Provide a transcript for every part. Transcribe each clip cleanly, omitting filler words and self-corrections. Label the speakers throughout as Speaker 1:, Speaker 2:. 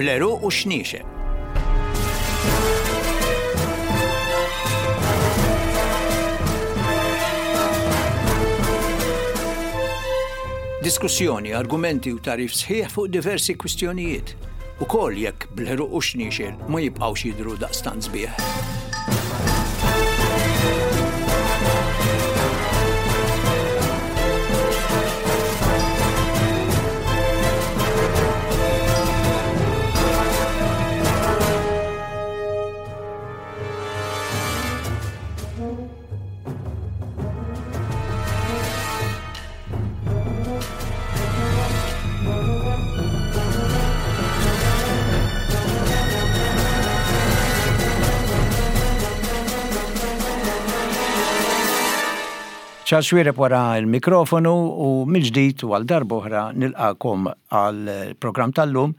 Speaker 1: Bl-għeruq u x-xniexel. Diskussjoni, argumenti u tagħrif sħiħ fuq diversi kwistjonijiet, ukoll jekk bl-għeruq u x-xniexel ma jibqgħux jidhru daqstant sbieħ. Charles Xuereb wara l-mikrofonu u mill-ġdid u għal darb'oħra nilqakom għal programm tal-lum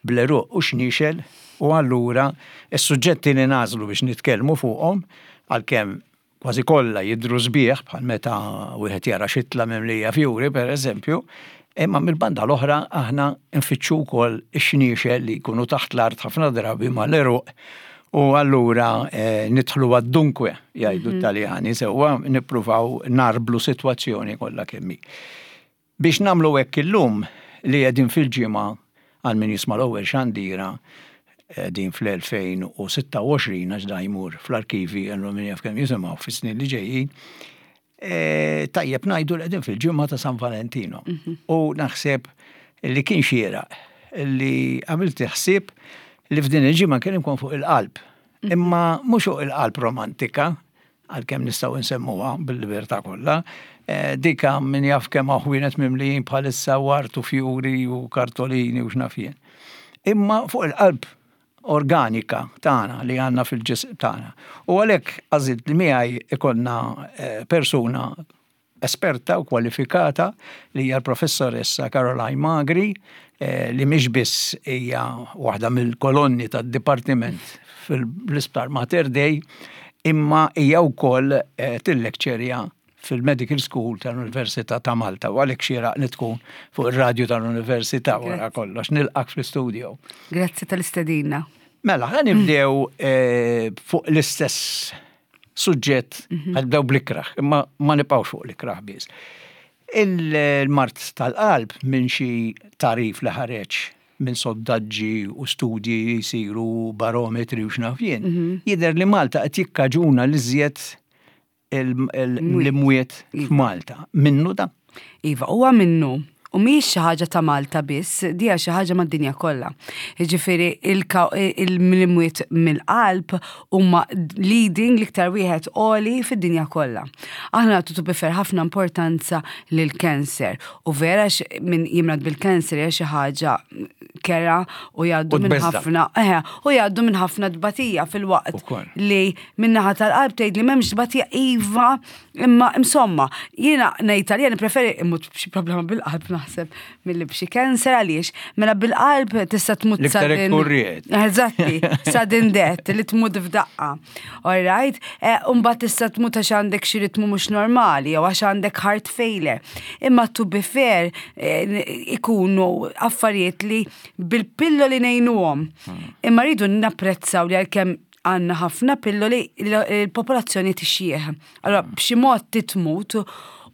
Speaker 1: bl-għeruq u xniexel u allura s-suġġetti li nagħżlu biex nitkellmu fuqhom għalkemm kważi kollha jidhru sbieħ bħal meta wieħed jara xitla mimlija fjuri pereżempju, imma mill-banda l-oħra aħna nfittxu wkoll ix-xniexel li jkunu taħt l-art ħafna drabi mal-għeruq u allura eh, nidħlu għad-dunkwe jgħidu mhm. t-Taljani sewwa nippruvaw narblu sitwazzjoni kollha kemm hi. Biex nagħmlu hekk illum li qegħdin fil-ġimgħa għal min jisma' l-ewwel xandira qegħdin fl-2026 għax da jmur fl-arkivi għallu min jaf kemm jisimgħu fis-snin li ġejjin, e, tajjeb ngħidu li qegħdin fil-ġimgħa ta' San Valentino. Mhm. U naħseb li kien xieraq li għamilt ħsieb li f'din il-ġimgħa nkellimkom fuq il-qalb. Mhm. Imma mhux fuq il-qalb romantika, għalkemm nistgħu nsemmuha bil-libertà kollha, eh, dika min jaf kemm hawn ħwienet mimlijin bħalissa wart u fjuri u kartolini u x'naf jien. Imma fuq il-qalb organika tagħna li għandna fil-ġism tagħna. U għalhekk għażilt li miegħi ikollna eh, persuna esperta u kwalifikata li hija l-Professoressa Caroline Magri eh, li mhix biss hija waħda mill-kolonni tad-dipartiment fil-Isptar Mater Dei, imma hija wkoll eh, tillekċerja fil-Medical School tal-Università ta' Malta u għalhekk xieraq li tkun fuq ir-radju tal-Università wara kollox nilqak fl-istudio.
Speaker 2: Grazzi tal-istedina.
Speaker 1: Mela, ħa nibdew eh, fuq l-istess suġġett mhm. nibdew bl-ikraħ, imma ma nibqgħux fuq l-ikraħ biss. Il-mart tal-qalb minn xi tarif li ħareġ minn sondaġġi u studji li jsiru barometri u x'naf jien, mhm. jidher li Malta qed jikkaġuna l-iżjed l-imwiet f'Malta. Minnu da?
Speaker 2: Iva, huwa minnu. U mhijiex xi ħaġa ta' Malta biss, dija xi ħaġa mad-dinja kollha. Jiġifieri il-mwiet mill-qalb huma leading l-iktar wieħed għoli fid-dinja kollha. Aħna nagħtu to be fair ħafna importanza lil cancer u vera min jimrad bil-cancer hija xi ħaġa kera u jgħaddu minn ħafna eh, u jgħaddu minn ħafna tbatija fil-waqt li min-naħa tal-qalb tgħid li m'hemmx tbatija iva Imma insomma, jiena ngħid għalija nippreferi immut b'xi problema bil-qalb naħseb milli b'xi cancer għaliex. Mela bil-qalb tista' tmut
Speaker 1: sudden.
Speaker 2: Eżatti, sudden death li tmut f'daqqa. All right? Eh, Umbagħad tista' tmut għax għandek xi ritmu mhux normali jew għax għandek heart failure. Imma to be fair eh, ikunu affarijiet li bil-pilloli ngħinuhom. Hmm. Imma rridu napprezzaw li għalkemm għandna ħafna pilloli il-popolazzjoni tixjieħ. Allora b'xi mod titmut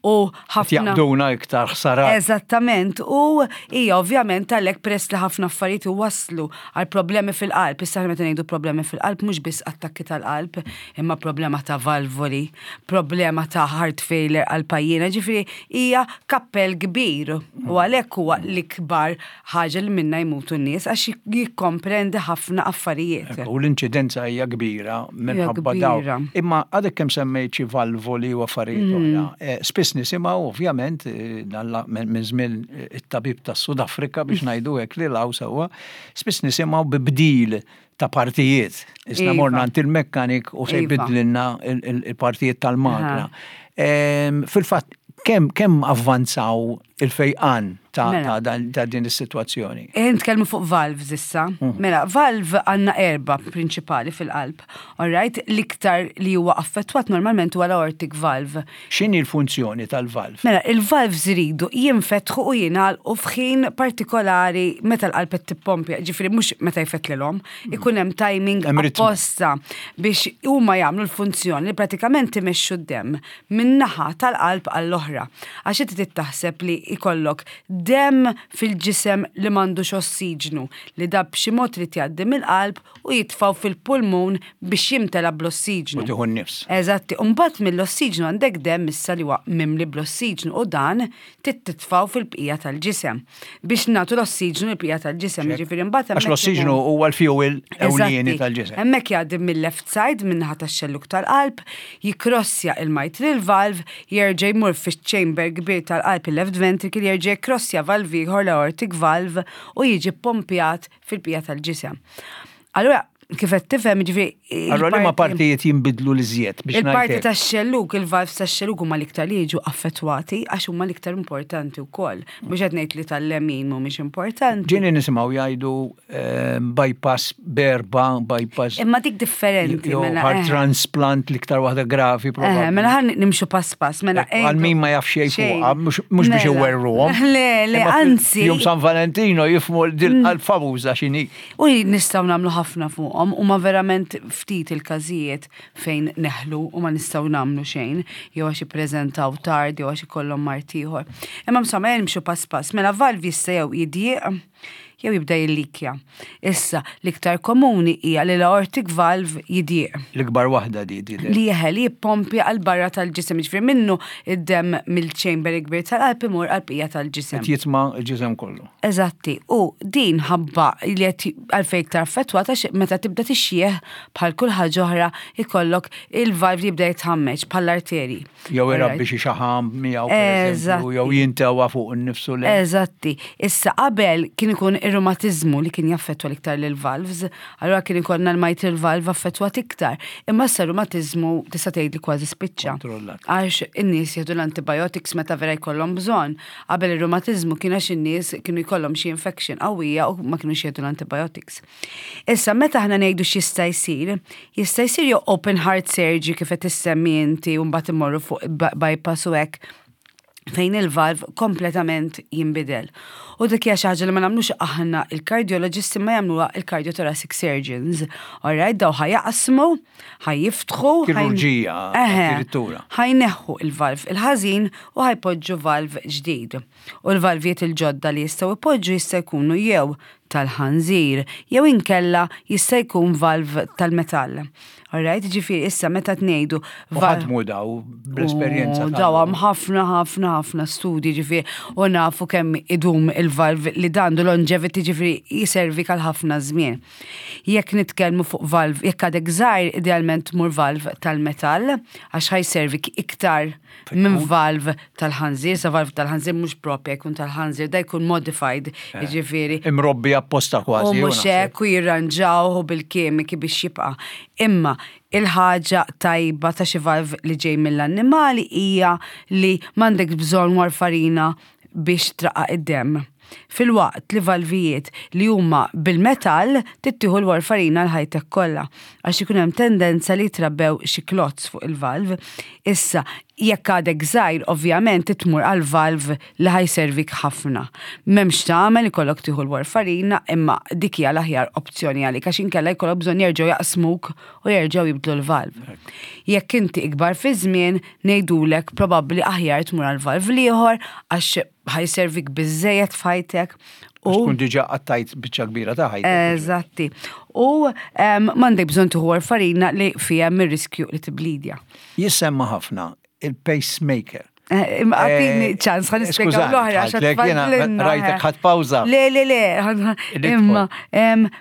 Speaker 2: u
Speaker 1: ħafna. Jaqbduna iktar ħsara.
Speaker 2: Eżattament, u hija ovvjament għalhekk peress li ħafna affarijiet waslu għal problemi fil-qalb. Issa meta ngħidu problemi fil-qalb mhux biss attakki tal-qalb, imma problema ta' valvoli, problema ta' heart failure għal pajjiena, ġifieri hija kappell kbir u għalhekk huwa l-ikbar ħaġa li minnha jmutu n-nies għax jikkomprendi ħafna affarijiet.
Speaker 1: U l-inċidenza hija kbira minħabba dawn. Imma għadek kemm semmejt xi valvoli u affarijiet mm. oħra. Eh, spiss nisimgħu ovvjament eh, minn żmien eh, it-tabib tas-Sud Afrika biex ngħidu hekk li law sewwa, spiss nisimgħu bi bdil ta' partijiet. Isna iva. morna għand il-mekkanik u se iva. jbidlilna il-partijiet tal-magna. Fil-fatt, kemm kemm avvanzaw. il-fejqan ta'
Speaker 2: Mela.
Speaker 1: ta' dan- ta' din is-sitwazzjoni.
Speaker 2: Eh, Nitkellmu fuq valves issa. Mela, valve għandna erba prinċipali fil-qalb. Alright, l-iktar li huwa affettwat normalment huwa l-aortic valve.
Speaker 1: X'inhi l-funzjoni tal-valve?
Speaker 2: Mela, il-valves iridu jinfetħu u jingħalqu f'ħin partikolari meta l-qalb qed tippompja, ġifieri mhux meta jfettlilhom, ikun hemm timing
Speaker 1: Hemm ritmu.
Speaker 2: apposta biex huma jagħmlu l-funzjoni li pratikament imexxu d-demm min-naħa tal-qalb għall-oħra. Għax inti trid taħseb li jkollok demm fil-ġisem li m'għandux ossiġnu li da b'xi mod trid jgħaddi mill-qalb u jitfgħu fil-pulmun biex jimtela bl-ossiġnu.
Speaker 1: U tieħu n-nifs.
Speaker 2: Eżatti, u mbagħad mill-ossiġnu għandek demm issa li huwa mimli bl-ossiġnu u dan trid titfgħu fil-bqija tal-ġisem biex nagħtu l-ossiġnu lill-bqija tal-ġisem, jiġifieri mbagħad
Speaker 1: Għax
Speaker 2: hemmhekk
Speaker 1: l-ossiġnu
Speaker 2: ikun-
Speaker 1: huwa l-fuel ewlieni
Speaker 2: Eżatti.
Speaker 1: tal-ġisem.
Speaker 2: Hemmhekk jgħaddi mill-left side min-naħa tax-xellug tal-qalb, jikkrossja il-mitral valve, jerġa' jmur fiċ-chamber kbir tal-qalb il-left ventricle, jerġa' jikkrossja valve ieħor l-aortic valve u jiġi ppompjat fil-bqija tal-ġisem. Allura, kif qed tifhem, jiġifieri.
Speaker 1: Allura liema partijiet jinbidlu l-iżjed biex
Speaker 2: Il-parti
Speaker 1: ngħid hekk?
Speaker 2: tax-xellug, il-valves tax-xellug huma l-iktar li jiġu affettwati għax huma l-iktar importanti wkoll. Mhux qed ngħid li tal-lemin mhumiex importanti.
Speaker 1: Ġieli nisimgħu jgħidu ehm, bypass berba, bypass.
Speaker 2: Imma dik differenti.
Speaker 1: Jew
Speaker 2: mela,
Speaker 1: heart
Speaker 2: eh.
Speaker 1: transplant l-iktar waħda gravi
Speaker 2: Eh,
Speaker 1: probabbli.
Speaker 2: mela ħan nimxu pass pass, mela.
Speaker 1: Għal min ma jaf xejn fuqha, mhux mhux biex
Speaker 2: Mela.
Speaker 1: iwerruhom.
Speaker 2: Le, le,
Speaker 1: Imma fil-
Speaker 2: anzi.
Speaker 1: Jum San Valentino jifmu dil famuża x'inhi.
Speaker 2: U nistgħu nagħmlu ħafna fuqhom u ma verament ftit il-każijiet fejn neħlu u ma nistgħu nagħmlu xejn, jew għax ippreżentaw tard, jew għax ikollhom mard ieħor. Imma insomma ejja nimxu pass pass. Mela valv jista' jew jidjieq jew jibda jillikja. Issa, l-iktar komuni hija li l-aortic valve jidjieq.
Speaker 1: L-ikbar waħda di di.
Speaker 2: Li jeħel jippompja għal barra tal-ġisem, ġifieri minnu id-demm mill-chamber kbir tal-qalb imur għall-bqija tal-ġisem.
Speaker 1: Qed jitma' l-ġisem kollu.
Speaker 2: Eżatti, u din ħabba li qed għalfejn iktar affettwata għax meta tibda tixjieħ bħal kull ħaġa oħra ikollok il-valve li jibda jitħammeġ bħall-arterji.
Speaker 1: Jew irabbi xi xaħam miegħu pereżempju, jew jintewa fuq innifsu le.
Speaker 2: Eżatti. Issa qabel kien ikun ir-rumatiżmu li kien jaffettwa l-iktar lill-valves, allura kien ikollna l-mitral valve affettwat iktar. Imma issa r-rumatiżmu tista' tgħid li kważi spiċċa.
Speaker 1: Kontrollat.
Speaker 2: Għax in-nies jieħdu l-antibiotics meta vera jkollhom bżonn. Qabel ir-rumatiżmu kien għax in-nies kienu jkollhom xi infection qawwija u ma kinux jieħdu l-antibiotics. Issa meta aħna ngħidu x'jista' jsir, jista' jsir jew open heart surgery kif qed issemmi inti u mbagħad immorru fuq bypass u hekk fejn il-valve kompletament jinbidel. U dik hija xi ħaġa li ma nagħmlux aħna il-cardiologists imma jagħmluha il-cardiothoracic surgeons. Alright, daw ħa jaqsmu, ħa jiftħu.
Speaker 1: Kirurġija, addirittura.
Speaker 2: Ħa jneħħu il-valve il-ħażin u ħa jpoġġu valve ġdid. U l-valvijiet il-ġodda li jistgħu jpoġġu jista' jkunu jew tal-ħanżir jew inkella jista' jkun valve tal-metall. Alright, ġifieri issa meta tnejdu
Speaker 1: U ħadmu daw bl-esperjenza.
Speaker 2: U daw hemm ħafna ħafna ħafna studji ġifieri u nafu kemm idum il-valve li dandu longevity ġifieri jiservi għal ħafna żmien. Jekk nitkellmu fuq valve, jekk għadek żgħir idealment tmur valve tal-metall għax ħa jservik iktar minn valve tal-ħanżir, sa valve tal-ħanżir mhux propja jkun tal-ħanżir, da jkun modified, jiġifieri.
Speaker 1: Imrobbi apposta kważi.
Speaker 2: U mhux hekk u jirranġawh bil-kimiki biex jibqa'. Imma il-ħaġa tajba ta' xi valve li ġej mill-annimali hija li m'għandek bżonn warfarina biex traqqaq id-demm. Filwaqt li valvijiet li huma bil-metall trid tieħu l-warfarina għal ħajtek kollha għax ikun hemm tendenza li jitrabbew xi clots fuq il-valve. Issa, jekk għadek żgħir ovvjament trid tmur għal valve li ħa jservik ħafna. M'hemmx x'tagħmel ikollok tieħu l-warfarina imma dik hija l-aħjar opzjoni għalik għax inkella jkollok bżonn jerġgħu jaqsmuk u jerġgħu jibdlu l-valve. Jekk inti ikbar fiż-żmien ngħidulek probabbli aħjar tmur għal valve l-ieħor għax ħa jservik biżżejjed f'ħajtek u.
Speaker 1: Tkun diġà qattajt biċċa kbira ta' ħajtek.
Speaker 2: Eżatti. U m'għandek bżonn tieħu warfarina li fiha hemm ir-riskju li tiblidja.
Speaker 1: Jissemma ħafna il-pacemaker.
Speaker 2: Eh, għatini eh, ċans, għan nispiega l-oħra.
Speaker 1: Rajtek ħat pawza.
Speaker 2: Le, le, le, imma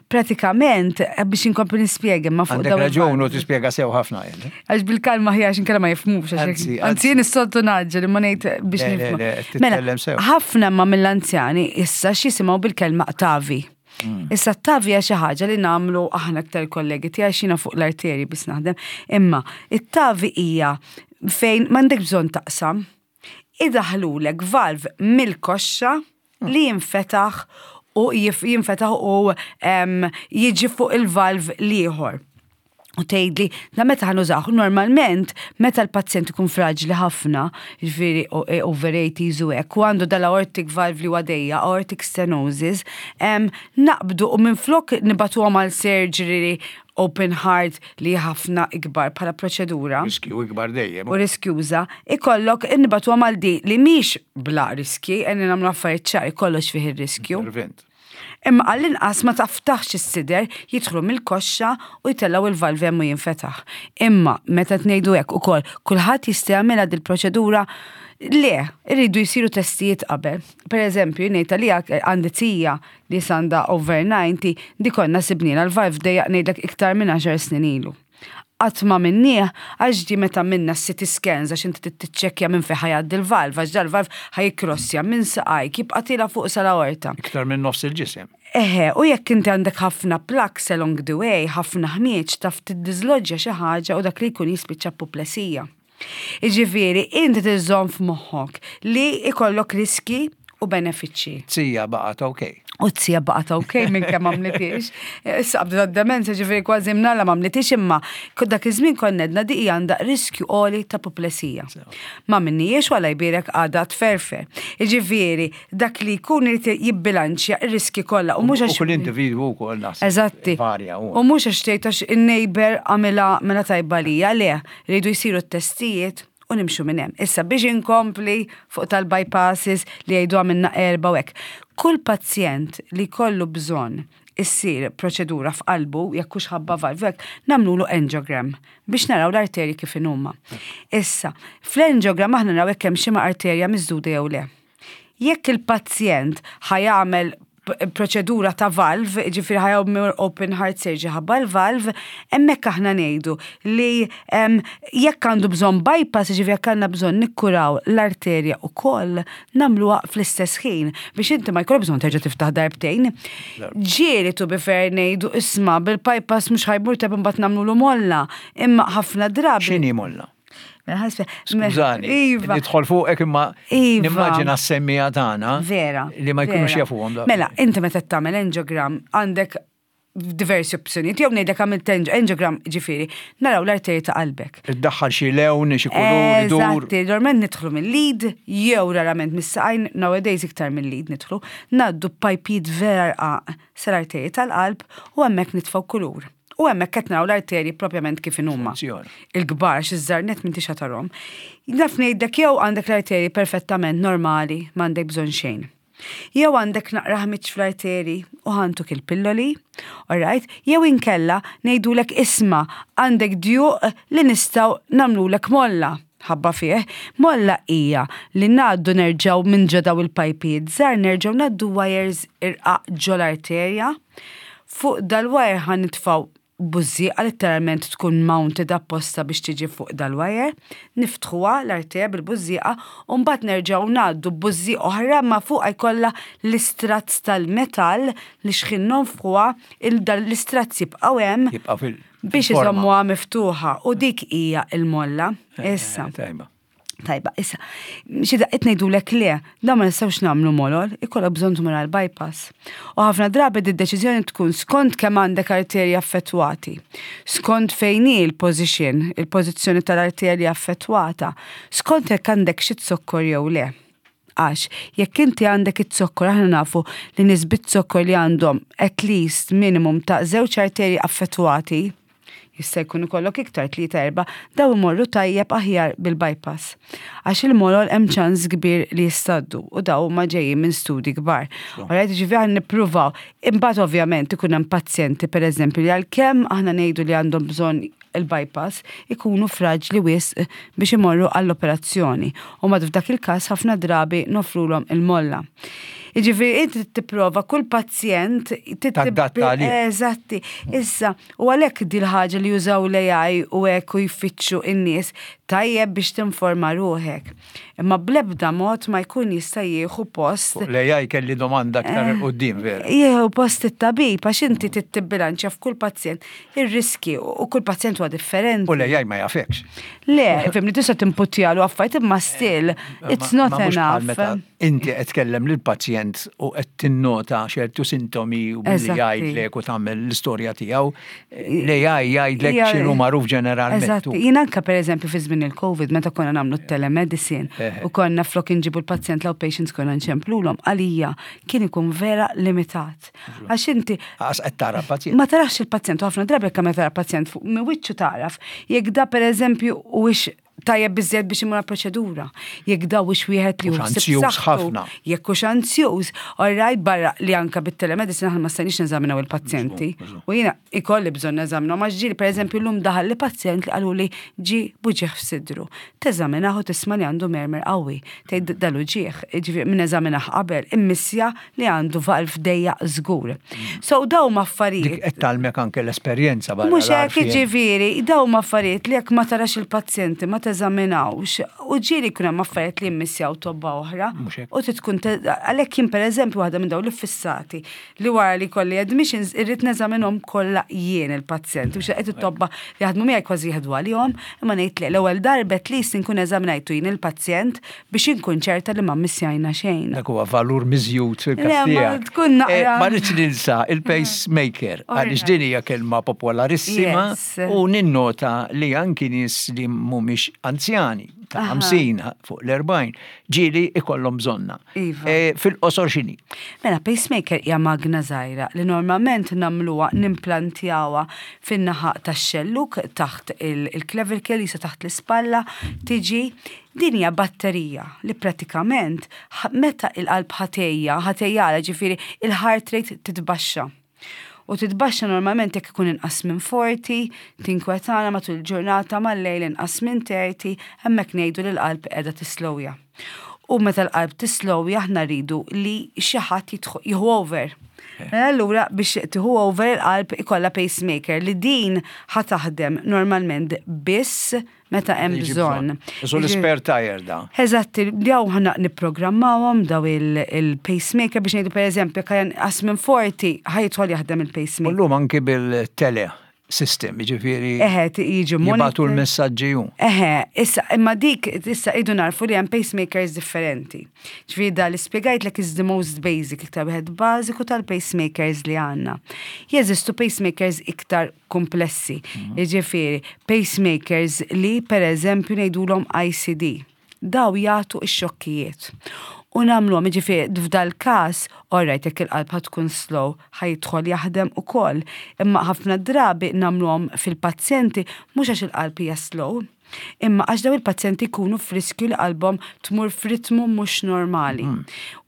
Speaker 2: pratikament, eh, biex inkompli nispiega, ma
Speaker 1: fuq dawn. Raġun u tispiega sew ħafna.
Speaker 2: Għax bil-kalma ħija għax inkella ma jifmux. Anzi, jien is-soltu naġġel imma ngħid biex
Speaker 1: nifhmu. Mela,
Speaker 2: ħafna ma mill-anzjani issa x'jisimgħu bil-kelma tavi. Mm. Issa t-tavi hija xi ħaġa li nagħmlu aħna aktar kollegi tiegħi xina fuq l-arteri biss naħdem. Imma it-tavi hija fejn m'għandek bżonn taqsam. Idaħħlulek valve mill-koxxa li jinfetaħ u jinfetaħ u jiġi fuq il-valve l-ieħor. U tgħidli, da meta ħa nużawh? Normalment, meta l-pazjent ikun fraġli ħafna, jiġifieri e, over 80s u hekk, u għandu dal-aortic valve li għaddejja, aortic stenosis, naqbdu u minflok nibagħtuhom għal surgery open heart li ħafna ikbar bħala proċedura.
Speaker 1: Riskju ikbar dejjem.
Speaker 2: U riskjuża, ikollok nibagħtuhom għal di li mhix bla riski, għenni nagħmlu affarijiet ċari, kollox fih ir-riskju.
Speaker 1: Intervent.
Speaker 2: Imma għall-inqas ma taftaħx is-sider, jidħlu mill-koxxa u jtellgħu il-valve hemm u jinfetaħ. Imma meta tgħidu hekk ukoll kulħadd jista' jagħmilha dil-proċedura le, irridu jsiru testijiet qabel. Per eżempju, ngħid għalija għandi tija li għandha over 90, di konna sibnielha l-valve dejjaq ngħidlek iktar minn 10 snin ilu. Qatt ma għamilnieh għax di meta għamilna CT scans għax inti tiċċekkja minn fejn ħa jgħaddi l-valve, għax dal-valve ħa jikkrossja minn saqajk jibqa' tiela' fuq sal-aorta.
Speaker 1: Iktar minn nofs il-ġisem.
Speaker 2: Eħe, u jekk inti għandek ħafna plaques along the way, ħafna ħmieġ, taf tiddiżloġġja xi ħaġa u dak li jkun jispiċċa puplesija. Iġifieri, inti tiżżomm f'moħħok li ikollok riski u benefiċċji.
Speaker 1: Zija baqgħet ok.
Speaker 2: U zija baqgħet ok minn kemm għamlitix. Issa qabdet d-demenza ġifieri kważi mnalla m'għamlitix imma dak iż-żmien konna għedna di hija għandha riskju għoli ta' puplesija. Ma minniex wala jbierek għadha tferfer. Ġifieri, dak li jkun irid jibbilanċja ir-riski kollha u mhux
Speaker 1: għax. U kull individwu wkoll naħseb.
Speaker 2: Eżatti.
Speaker 1: Varja.
Speaker 2: U mhux għax tgħid għax in-neighbor għamilha mela tajba lija, le, rridu jsiru t-testijiet u nimxu minn hemm. Issa biex inkompli fuq tal-bypasses li jgħidu għamilna erba' u hekk. Kull pazjent li kollu bżonn issir proċedura f'qalbu, jekk hux ħabba valve, hekk, nagħmlulu angiogram biex naraw l-arterji kif inhuma. Issa, fl-angiogram aħna naraw jekk hemm xi arterja miżduda jew le. Jekk il-pazjent ħa jagħmel proċedura ta' valve, ġifieri ħa jagħmel open heart surgery ħabba l-valve, hemmhekk aħna ngħidu li jekk għandu bżonn bypass, ġifieri jekk għandna bżonn nikkuraw l-arterja ukoll, nagħmluha fl-istess ħin biex inti ma jkollok bżonn terġa' tiftaħ darbtejn. Ġieli to be fair ngħidu isma' bil-bypass mhux ħa jmur tajjeb imbagħad nagħmlulu molla, imma ħafna drabi.
Speaker 1: X'inhi molla?
Speaker 2: Mela,
Speaker 1: Skużani,
Speaker 2: Iva.
Speaker 1: nidħol fuqek imma
Speaker 2: Iva.
Speaker 1: nimmaġina s-semmiegħa tagħna
Speaker 2: Vera.
Speaker 1: li ma jkunux
Speaker 2: vera.
Speaker 1: jafuhom da.
Speaker 2: Mela, inti meta tagħmel angiogram għandek diversi opzjonijiet, jew ngħidlek għamilt angiogram ġifieri, naraw l-arterji ta' qalbek.
Speaker 1: Iddaħħal xi lewn, xi kulur, idur.
Speaker 2: Eżatti, normalment nidħlu mill-id, jew rarament mis-saqajn, nowadays iktar mill-id nidħlu, ngħaddu pajpijiet vera rqaq sal-arterji tal-qalb u hemmhekk nitfgħu kulur. U hemmhekk qed naraw l-arterji propjament kif inhuma.
Speaker 1: Funzjoni.
Speaker 2: Il-kbar xi żarnet m'intix tarahom. Naf ngħidlek jew għandek l-arterji perfettament normali, m'għandek bżonn xejn. Jew għandek naqra ħmiġ fl-arteri u ħa ntuk il-pilloli, alright? Jew inkella ngħidulek isma' għandek djuq li nistgħu nagħmlulek molla. Ħabba fih, molla hija li ngħaddu nerġgħu minn ġo daw il-pajpijiet żgħar nerġgħu ngħaddu wires irqaq ġol-arterja. Fuq dal-wire ħa nitfgħu bużżieqa letteralment tkun mounted apposta biex tiġi fuq dal-wire, niftħuha l-arterja bil-bużżieqa u mbagħad nerġgħu ngħaddu bużżieqa oħra ma fuqha jkollha l-istratt tal-metall li xħin nonfħuha l-istrazz jibqgħu hemm
Speaker 1: Jibqa' fil-
Speaker 2: biex
Speaker 1: fil-forma.
Speaker 2: iżommuha miftuħa u dik hija il-molla. Issa.
Speaker 1: Tajba.
Speaker 2: Tajba, issa, xi daqqiet ngħidulek le, da ma nistgħux nagħmlu molol, ikollok bżonn tmur għal bypass. U ħafna drabi di deċiżjoni tkun skont kemm għandek arterji affettwati, skont fejn hi l-position, il-pożizzjoni tal-arterja affettwata, skont jekk għandek xi zokkor jew le. Għax, jekk inti għandek it-zokkor, aħna nafu li nies bit-zokkor li għandhom at least minimum ta' żewġ arterji affettwati, jista' jkun ikollok iktar tlieta erba', daw imorru tajjeb aħjar bil-bypass. Għax il-molol hemm ċans kbir li jistaddu u daw huma ġejjin minn studi kbar. Alright, ġifieri aħna nippruvaw. Imbagħad ovvjament ikun hemm pazjenti pereżempju li għalkemm aħna ngħidu li għandhom bżonn il-bypass ikunu fraġli wisq biex imorru għall-operazzjoni. U mad f'dak il-każ ħafna drabi nofrulhom il-molla. Jiġifieri inti tipprova kull pazjent
Speaker 1: Tadatta għalih.
Speaker 2: Eżatti. Issa, u għalhekk di l-ħaġa li jużaw l-AI u hekk u jfittxu in-nies. Tajjeb biex tinforma ruħek. Imma bl-ebda mod ma jkun jista' jieħu post.
Speaker 1: Fuq l-AI kelli domanda aktar 'il quddiem vera.
Speaker 2: Jieħu post it-tabib għax inti trid tibbilanċja f'kull pazjent ir-riskji u kull pazjent huwa differenti.
Speaker 1: U l-AI ma jafekx.
Speaker 2: Le, fimni tista' timputjalu affarijiet imma still it's not enough.
Speaker 1: Inti qed tkellem lill-pazjent u qed tinnota ċertu sintomi u billi jgħidlek u tagħmel l-istorja tiegħu, l-AI jgħidlek x'inhu magħruf ġeneralment.
Speaker 2: Eżatt, jien anke pereżempju fi żmien il-COVID meta konna nagħmlu t-telemedicine u konna flok inġibu l-pazjent l-outpatients konna nċemplulhom, għalija kien ikun vera limitat. Għax inti.
Speaker 1: Għax qed tara pazjent.
Speaker 2: Ma tarax il-pazjent u ħafna drabi jekk meta tara pazjent fuq minn wiċċu taraf jekk da pereżempju huwiex tajjeb biżżejjed biex imur għall-proċedura. Jekk da hux wieħed li
Speaker 1: hu anzjuż ħafna.
Speaker 2: Jekk hux anzjuż, all right, barra li anka bit-telemedicine aħna ma stajniex neżaminaw il-pazjenti. U jiena ikolli bżonn neżaminahom għax ġieli pereżempju llum daħal li pazjent li qaluli ġie b'uġigħ f'sidru. Teżaminah u tisma' li għandu murmur qawwi. Tgħid dal-uġigħ, jiġifieri min eżaminah qabel immissja li għandu valv dejjaq żgur. So daw huma affarijiet.
Speaker 1: Dik qed tgħallmek anke l-esperjenza
Speaker 2: barra. Mhux hekk jiġifieri, daw huma affarijiet li jekk ma tarax il-pazjenti ma teżaminawx u ġieli jkun hemm affarijiet li jimmissjaw tobba oħra. U trid tkun għalhekk jien pereżempju waħda minn dawn l-iffissati li wara li jkolli admissions irrid neżaminhom kollha jien il-pazjenti biex qed it-tobba li jaħdmu miegħi kważi jieħdu għalihom, imma ngħid le l-ewwel darba at least inkun eżaminajtu jien il-pazjent biex inkun ċerta li ma mmissjajna xejn.
Speaker 1: Dak huwa valur miżjud fil-każ
Speaker 2: tiegħek. Tkun naqra.
Speaker 1: Eh, ma rridx ninsa il-pacemaker għaliex din hija kelma popolarissima u ninnota li anki nies li mhumiex anzjani ta' 50 fuq l-40 ġieli ikollhom bżonna.
Speaker 2: Iva.
Speaker 1: Eh, fil-qosor x'inhi?
Speaker 2: Mela pacemaker hija magna żgħira li normalment nagħmluha nimplantjawha fin-naħa tax-xelluk taħt il-clavicle jisa taħt l-ispalla tiġi Din hija batterija li pratikament meta il-qalb ħa tgħejja, ħa tgħejjalha ġifieri il-heart rate titbaxxa. U titbaxxa normalment jekk ikun inqas minn 40, tinkwetana matul il-ġurnata mal-lejl inqas minn 30, hemmhekk ngħidu li l-qalb qiegħda tislowja. U meta l-qalb tislowja aħna rridu li xi ħadd jieħu over. Mela allura biex tieħu over il-qalb ikollha pacemaker li din ħa taħdem normalment biss meta hemm bżonn.
Speaker 1: Isu l-spare tire da.
Speaker 2: Eżatt, daw ħana nipprogrammawhom daw il-pacemaker biex ngħidu pereżempju jekk inqas minn 40 ħajidħol jaħdem il-pacemaker.
Speaker 1: Illum anki bil-tele system, jiġifieri.
Speaker 2: Eħe, jiġu
Speaker 1: Jibgħatu l-messaġġi hu.
Speaker 2: Eħe, issa imma dik issa idu narfu li hemm pacemakers differenti. Ġifieri da li spjegajtlek is the most basic, iktar wieħed bażiku tal-pacemakers li għandna. Jeżistu pacemakers iktar kumplessi. Jiġifieri, pacemakers li pereżempju ngħidulhom ICD. Daw jagħtu x-xokkijiet. U nagħmluhom, jiġifieri f'dal-każ, all right, jekk il-qalb ħa tkun slow, ħa jidħol jaħdem ukoll. Imma ħafna drabi nagħmluhom fil-pazjenti mhux għax il-qalb hija slow, Imma għax daw il-pazjenti jkunu f'riskju li qalbhom tmur f'ritmu mhux normali.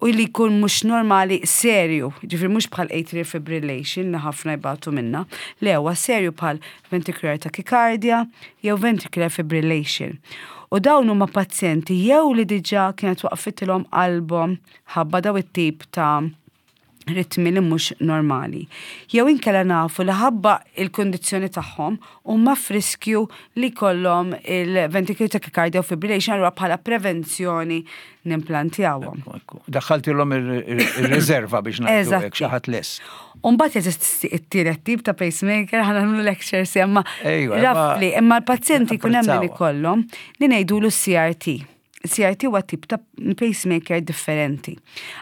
Speaker 2: U li jkun mhux normali serju, ġifieri mhux bħal atrial fibrillation li ħafna jbatu minnha, le huwa serju bħal ventricular tachycardia jew ventricular fibrillation. U dawn huma pazjenti jew li diġà kienet waqfitilhom qalbhom ħabba daw it-tip ta' ritmi li mhux normali. Jew inkella nafu li ħabba il-kundizzjoni tagħhom huma f'riskju li jkollhom il-ventricular tachycardia u fibrillation allura bħala prevenzjoni nimplantjawhom.
Speaker 1: Daħħaltilhom ir-riserva biex ngħidu hekk xi ħadd lest.
Speaker 2: U mbagħad jeżisti t-tielet tip ta' pacemaker ħa nagħmlu lectures imma roughly imma l-pazjenti jkun hemm min ikollhom li ngħidulu CRT. CRT huwa tip ta' pacemaker differenti.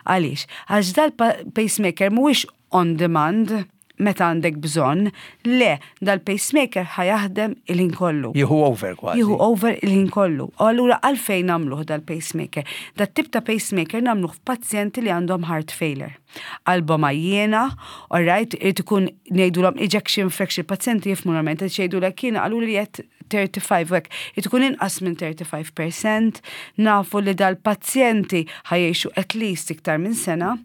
Speaker 2: Għaliex? Għax dal-pacemaker mhuwiex on demand meta għandek bżonn, le, dal-pacemaker ħa jaħdem il-ħin kollu.
Speaker 1: Jieħu over kważi.
Speaker 2: Jieħu over il-ħin kollu. U allura għalfejn nagħmluh dal-pacemaker? Dat-tip ta' pacemaker nagħmluh f'pazjenti li għandhom heart failure. Qalbhom għajjiena, all right, irid ikun ngħidulhom ejection fraction, pazjenti jifhmu normalment, qed jgħidulek jiena qaluli li qed 35 u hekk, irid ikun inqas minn 35%, nafu li dal-pazjenti ħa jgħixu at least iktar minn sena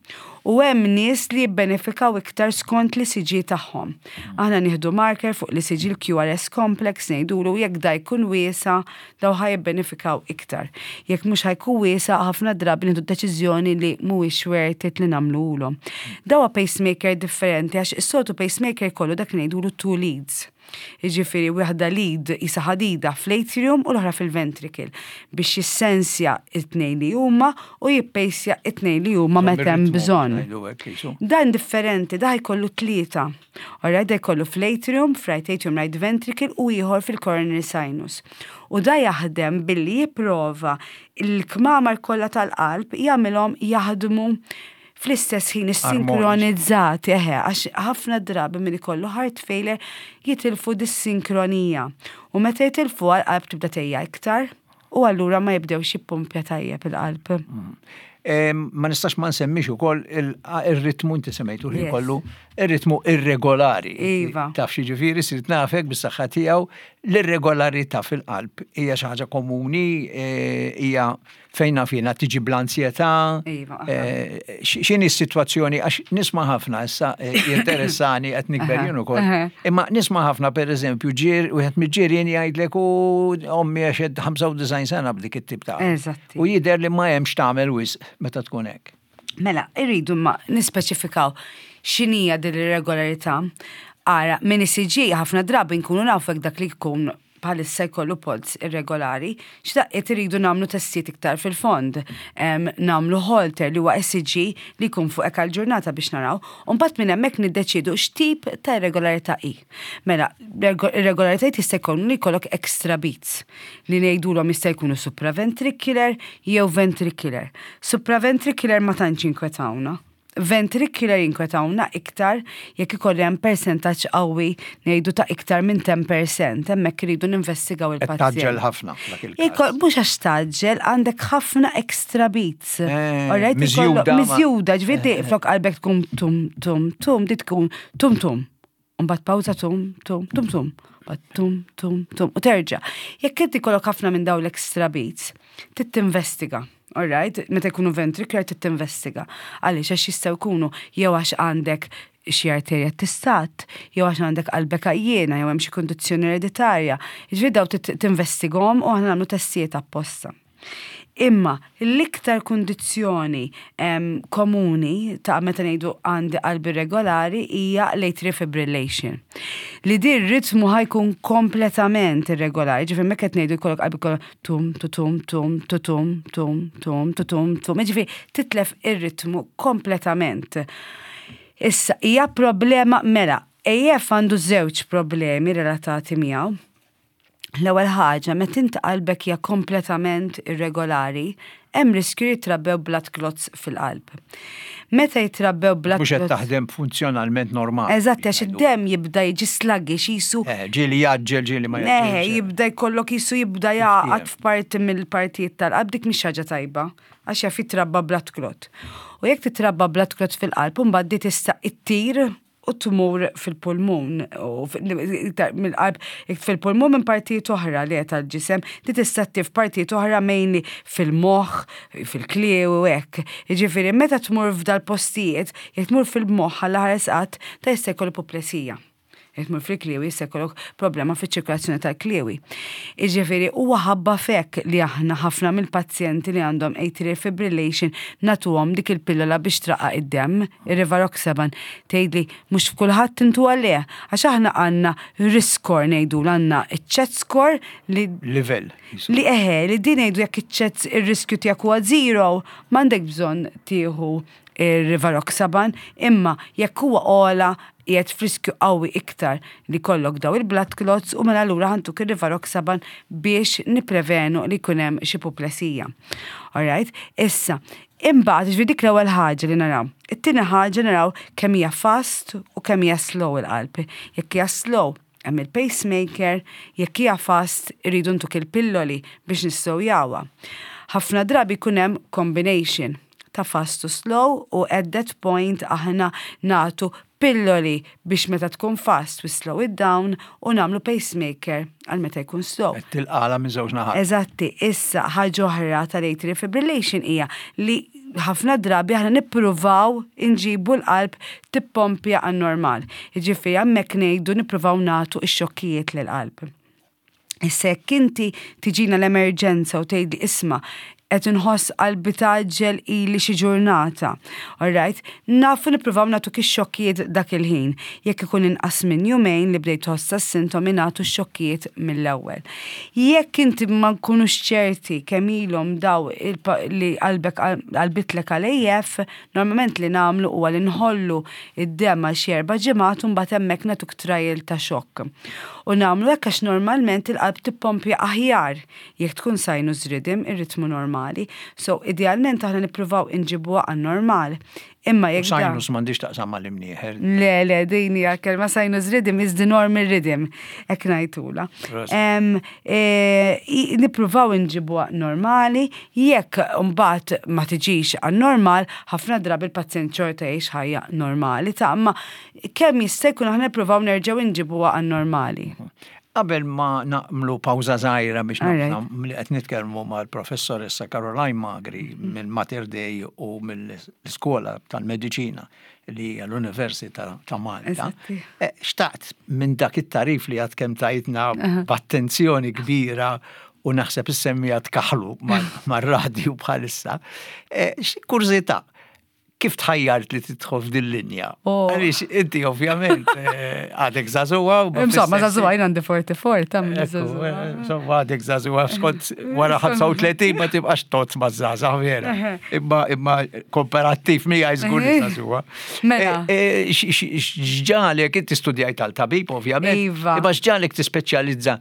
Speaker 2: u hemm nies li jibbenefikaw iktar skont l-ECG tagħhom. Aħna nieħdu marker fuq l-ECG l-QRS complex ngħidulu jekk da jkun wiesa' daw ħa jibbenefikaw iktar. Jekk mhux ħa jkun wiesa' ħafna drabi nieħdu d-deċiżjoni li mhuwiex worth it li nagħmluhulhom. Dawa pacemaker differenti għax is-soltu pacemaker jkollu dak li ngħidulu two leads. Jiġifieri waħda lead qisha ħadida fl-atrium u l-oħra fil-ventricle biex jissensja t-tnejn li huma u jippejsja t-tnejn li huma meta hemm bżonn. Dan differenti, da jkollu tlieta. Alright, da jkollu fl-atrium, f'right atrium, right ventricle u ieħor fil-coronary sinus. U da jaħdem billi jipprova l-kmamar kollha tal-qalb jagħmilhom jaħdmu fl-istess ħin issinkronizzati, eħe, għax ħafna drabi min ikollu heart failure jitilfu dis-sinkronija. U meta jitilfu għal-qalb tibda tejja iktar u allura ma jibdewx jippumpja tajjeb il-qalb.
Speaker 1: Mm. Ma nistax ma nsemmix ukoll ir-ritmu inti semmejtu li kollu ir-ritmu irregolari.
Speaker 2: Iva.
Speaker 1: Taf xi ġifieri sirt nafek bis-saħħa tiegħu l-irregolarità fil-qalb hija xi ħaġa komuni, eh, hija fejn naf jiena tiġi bl-anzjetà.
Speaker 2: Iva.
Speaker 1: Eh, x'inhi s-sitwazzjoni għax nisma' ħafna issa eh, jinteressani qed nikber jien ukoll. Imma nisma' ħafna pereżempju ġir wieħed mill-ġirien jgħidlek u ommi għax 95 sena b'dik it-tip ta'.
Speaker 2: Eżatti.
Speaker 1: U jidher li ma hemmx tagħmel wisq meta tkun hekk.
Speaker 2: Mela, irridu ma nispeċifikaw x'inhija din ir-regolarità. Ara, minn ECG ħafna drabi nkunu nafu dak li jkun bħalissa jkollu polz irregolari, x'daqqiet iridu nagħmlu testijiet iktar fil-fond. Nagħmlu Holter li huwa ECG li jkun fuqek għal ġurnata biex naraw, u mbagħad minn hemmhekk niddeċiedu x'tip ta' irregolarità hi. Mela, irregolaritajiet jista' jkunu li jkollok extra beats li ngħidulhom jista' jkunu supraventricular jew ventricular. Supraventricular ma tantx jinkwetawna. Ventricular jinkwetawna iktar jekk ikolli hemm persentaġġ qawwi ngħidu ta' iktar minn 10%, hemmhekk iridu ninvestigaw il-pazjent.
Speaker 1: Tgħaġġel ħafna f'dak il-każ.
Speaker 2: Mhux għax tgħaġġel, għandek ħafna extra beats.
Speaker 1: Eh, miżjuda.
Speaker 2: Miżjuda, ġifieri eh. flok qalbek tkun tum tum tum, di tkun tum tum. Mbagħad pawża tum tum tum tum. Mbagħad tum tum tum u terġa'. Jekk inti jkollok ħafna minn dawn l-extra beats, trid tinvestiga. All right, meta jkunu ventricular trid tinvestiga. Għaliex għax jistgħu jkunu jew għax għandek xi arterja tistat, jew għax għandek qalbek għajjiena, jew hemm xi kundizzjoni ereditarja. Jiġifieri daw trid tinvestigahom u aħna nagħmlu testijiet apposta. Imma l-iktar kundizzjoni komuni ta' meta ngħidu għandi qalbi irregolari hija l-atrial fibrillation. Li din ritmu ħajkun kompletament irregolari, ġifieri mekk qed ngħidu jkollok qalbi kollha tum tu tum tum tu tum tum tum tu tum tum, ġifieri titlef ir-ritmu kompletament. Issa hija problema mela, AF għandu żewġ problemi relatati miegħu. L-ewwel ħaġa, meta int qalbek hija kompletament irregolari, hemm riskju li jitrabbew blood clots fil-qalb. Meta jitrabbew blood
Speaker 1: clots. Mhux qed taħdem funzjonalment normali.
Speaker 2: Eżatt, għax id-demm jibda jiġi sluggish qisu.
Speaker 1: Eh, ġieli jgħaġġel, ġieli ma jgħaġġelx.
Speaker 2: Eħe, jibda jkollok qisu jibda jagħqad f'parti mill-partijiet tal-qalb, dik mhix ħaġa tajba, għax jaf jitrabba blood clot. U jekk titrabba blood clot fil-qalb, imbagħad di tista' ittir u tmur fil-pulmun u mill-qalb fil-pulmun minn partijiet oħra li tal-ġisem li tista' ttif partijiet oħra mainly fil-moħħ, fil-kliewi u hekk. Jiġifieri meta tmur f'dal-postijiet, jekk tmur fil-moħħ għal ħares qatt, ta' jista' jkollu puplesija. Jekk tmur fil-kliewi jista' jkollok problema fiċ-ċirkolazzjoni tal-kliewi. Jiġifieri huwa ħabba f'hekk li aħna ħafna mill-pazjenti li għandhom atrial fibrillation nagħtuhom dik il-pillola biex traqqaq id-demm, ir-rivaroxaban. Tgħidli mhux f'kulħadd intuha le, għax aħna għandna risk score ngħidulu għandna iċ-chat score li
Speaker 1: Livell.
Speaker 2: Li eħe, li din ngħidu jekk iċ-chat ir-riskju tiegħek huwa zero, m'għandek bżonn tieħu ir-rivaroxaban, imma jekk huwa ogħla qiegħed f'riskju qawwi iktar li jkollok daw il-blood clots u mela allura ħa ntuk ir-rivaroxaban biex nipprevenu li jkun hemm xi puplesija. Alright? Issa, imbagħad ġifieri dik l-ewwel ħaġa li naraw. It-tieni ħaġa naraw kemm hija fast u kemm hija slow il-qalb. Jekk hija slow, hemm il-pacemaker, jekk hija fast irridu ntuk il-pilloli biex nisslowjawha. Ħafna drabi jkun hemm combination ta' fast u slow u at that point aħna nagħtu pilloli biex meta tkun fast we slow it down u nagħmlu pacemaker għal meta jkun slow.
Speaker 1: Qed tilqagħla minn żewġ naħat.
Speaker 2: Eżatti, issa ħaġa oħra tal-atrial fibrillation hija li ħafna drabi aħna nippruvaw inġibu l-qalb tippompja għan-normal. Jiġifieri hemmhekk ngħidu nippruvaw nagħtu x-xokkijiet lill-qalb. Issa jekk inti tiġina l-emerġenza u tgħidli isma' Qed inħoss qalbi tgħaġġel ili xi ġurnata. Alright? Nafu nippruvaw nagħtuk ix-xokkijiet dak il-ħin. Jekk ikun inqas minn jumejn li bdejt tħoss s-sintomi nagħtu x-xokkijiet mill-ewwel. Jekk inti ma nkunux ċerti kemm ilhom daw li qalbek qalbitlek għal AF, normalment li nagħmlu huwa li nħollu id-demm għal xi 4 ġimgħat u mbagħad hemmhekk nagħtuk trial ta' xokk. U nagħmlu hekk għax normalment il-qalb tippompja aħjar jekk tkun sinus rhythm, ir-ritmu normali. So, idealment aħna nippruvaw inġibuha għan-normal. Imma jekk
Speaker 1: Sinus m'għandix taqsam mal-imnieħer.
Speaker 2: Le, le, din hija kelma sinus rhythm is the normal rhythm, hekk ngħidula. E, nippruvaw inġibuha normali, jekk mbagħad ma tiġix għan-normal, ħafna drabi il-pazjent xorta jgħix ħajja normali ta' imma kemm jista' jkun aħna nippruvaw nerġgħu inġibuha għan-normali.
Speaker 1: Qabel ma nagħmlu pawża żgħira biex nafna li qed nitkellmu mal-professoressa Caroline Magri minn Mater Dei u mill-Iskola tal-Mediċina li hija l-Università ta' Malta. Xtaqt minn dak it-tarif li għad kemm tajtna b'attenzjoni kbira u naħseb is-semmiegħa tkaħħlu mar-radju bħalissa. Kurżità, kif tħajjart li tidħol f'din linja?
Speaker 2: Oh.
Speaker 1: Għaliex inti ovvjament għadek żagħżugħa.
Speaker 2: Insomma, żagħżugħa jien għandi 44 ta'
Speaker 1: żagħżugħa. Insomma, għadek żagħżugħa skont wara 35 ma tibqax tot ma' żgħażagħ vera. Imma komparattiv miegħi żgur li żagħżugħa.
Speaker 2: Mela.
Speaker 1: X'ġagħlek inti studjajt għal tabib ovvjament.
Speaker 2: Iva.
Speaker 1: Imma x'ġagħlek tispeċjalizza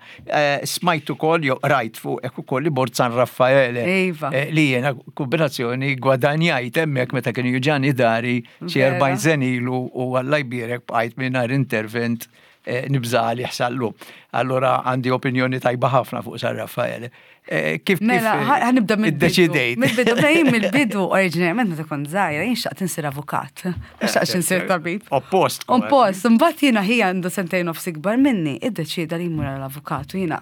Speaker 1: smajt ukoll jew rajt fuq hekk ukoll li mort San Raffaele.
Speaker 2: Iva.
Speaker 1: Li jiena kombinazzjoni gwadanjajt hemmhekk meta kienu juġgħani dahri xi 40 sena ilu u Alla jbierek bqajt mingħajr intervent nibża' li ħsallu. Allora għandi opinjoni tajba ħafna fuq San Raffaele. Kif
Speaker 2: Mela, ħa nibda mill
Speaker 1: iddeċidejt?
Speaker 2: Mill-bidu, mela jien mill-bidu oriġinarjament meta kont żgħira jien xtaqt insir avukat. Ma xtaqtx insir tabib.
Speaker 1: Oppost.
Speaker 2: Oppost, mbagħad jiena ħija għandu sentejn nofs ikbar minni, iddeċida li jmur għall-avukat u jiena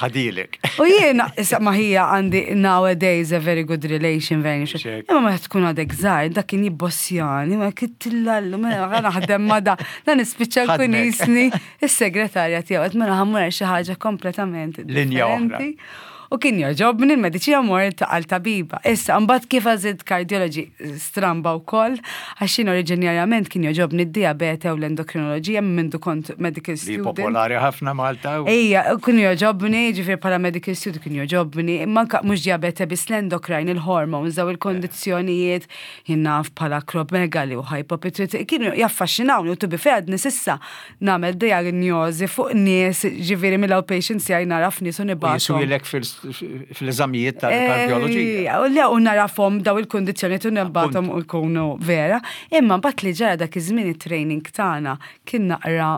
Speaker 1: Ħadilek.
Speaker 2: U jiena issa ma ħija għandi nowadays a very good relation, very Imma ma tkun għadek żgħir, dak kien jibbossjani, ma kittillallu, mela naħdem ma da, dan nispiċċa nkun jisni is-segretarja tiegħu qed mela ħa mmur xi ħaġa kompletament
Speaker 1: Linja oħra.
Speaker 2: U kien jogħġobni l-mediċina mort għal tabiba. Issa, mbagħad kif għażilt cardiology stramba wkoll, għax jien oriġinarjament kien jogħġobni d-diabete u l-endokrinoloġija minn mindu kont medical
Speaker 1: Li
Speaker 2: student.
Speaker 1: popolari ħafna Malta.
Speaker 2: Ejja, kien jogħġobni, ġifieri bħala medical student kien jogħġobni, manka mhux diabete biss l-endocrine, il-hormones, daw il-kondizzjonijiet, jien naf bħala acromegaly u hypopituitary, kienu jaffaxxinawni u to be fair għadni s'issa nagħmel diagnosi fuq nies, ġifieri mill-outpatients jgħaj naraf nies u nibgħathom.
Speaker 1: Jiswilek fil-eżamijiet tal-kardjoloġija.
Speaker 2: Le, u narafhom daw il-kondizzjonijiet u nibgħathom u jkunu vera. Imma mbagħad li ġara dak iż-żmien it-training tagħna kien naqra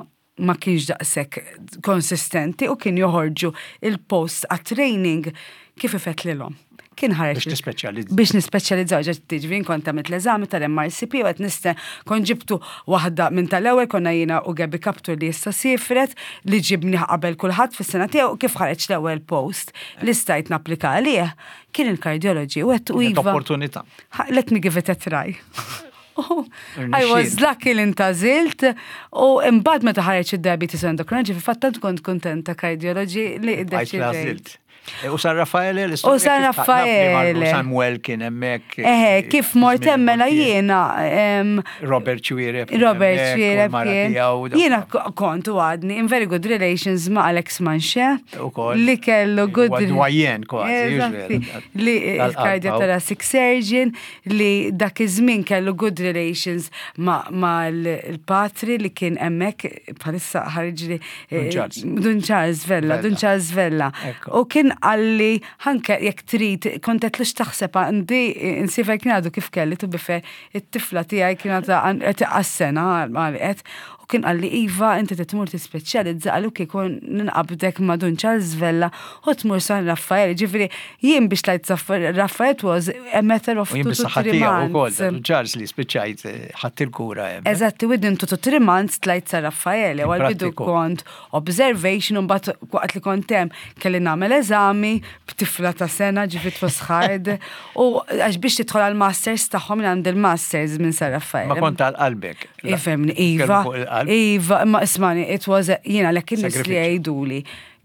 Speaker 2: ma kienx daqshekk konsistenti u kien joħorġu il-post għat-training kif ifettlilhom. Kien ħareġ.
Speaker 1: Biex tispeċjalizza.
Speaker 2: Biex nispeċjalizzaw, ġa tiġri kont għamilt l-eżami tal-MRCP u qed niste kont ġibtu waħda minn tal-ewwel konna jiena u Gabi Kaptur li issa sifret li ġibni qabel kulħadd fis-sena tiegħu kif ħareġ l-ewwel post li stajt napplika għalih kien il-cardiology u għedt u
Speaker 1: Kienet
Speaker 2: iva.
Speaker 1: Opportunità.
Speaker 2: Let me give it a try. Oh, I was
Speaker 1: Irnexxielek.
Speaker 2: lucky li ntgħażilt u imbagħad meta ħareġ id-diabetes endocrinology fil-fatt tant kont kontenta cardiology li
Speaker 1: Għajt
Speaker 2: iddeċidejt.
Speaker 1: għażilt. E, U San Raffaele
Speaker 2: U San Raffaele.
Speaker 1: Samuel kien hemmhekk.
Speaker 2: Eħe, kif mort hemm mela jiena
Speaker 1: Robert Xuereb. kien
Speaker 2: Robert
Speaker 1: hemmhekk, u
Speaker 2: Xuereb
Speaker 1: l-mara
Speaker 2: kien.
Speaker 1: tiegħu, daw-
Speaker 2: Jiena kont u għadni in very good relations ma' Alex Manche.
Speaker 1: Ukoll.
Speaker 2: Li kellu good.
Speaker 1: Huwa doyen kważi,
Speaker 2: Eżatti.
Speaker 1: vera.
Speaker 2: Li
Speaker 1: Tal-qalb,
Speaker 2: il-cardiothoracic surgeon li dak iż-żmien kellu good relations ma' ma' l-patri li kien hemmhekk bħalissa ħarġli
Speaker 1: Dun Charles.
Speaker 2: Dun Charles Vella, Dun
Speaker 1: Vella.
Speaker 2: Charles Vella.
Speaker 1: Ekku.
Speaker 2: U kien qalli anke jekk trid kont qed lux taħseb għandi insifek kien għadu kif kelli to be fair it-tifla tiegħi kien għadha għas-sena għalqet u kien qalli iva inti tmur tispeċjalizza għallu kieku ninqabdek ma' Dun Charles Vella u tmur San Raffaele. Ġifieri jien biex tlajt San Raffaele was a matter of
Speaker 1: U jien
Speaker 2: two to
Speaker 1: bis-saħħa
Speaker 2: three
Speaker 1: tiegħu ukoll,
Speaker 2: months.
Speaker 1: Dun Charles li spiċċajt ħadd il-kura hemm.
Speaker 2: Eżatti, within 2 to 3 months tlajt San Raffaele, u għal-bidu
Speaker 1: Prattiku.
Speaker 2: kont observation, u mbagħad waqt li kont hemm kelli nagħmel eżami b'tifla ta' sena ġifieri was hard, u għax biex tidħol għal-masters tagħhom minn għand il-masters minn San Raffaele.
Speaker 1: Ma kont għal qalbek.
Speaker 2: Ifhimni, Iva,
Speaker 1: Kellu fuq il-qalb.
Speaker 2: Iva, ma ismani, it was, jiena l in-nies li
Speaker 1: Sagrifiċċju.
Speaker 2: jgħiduli.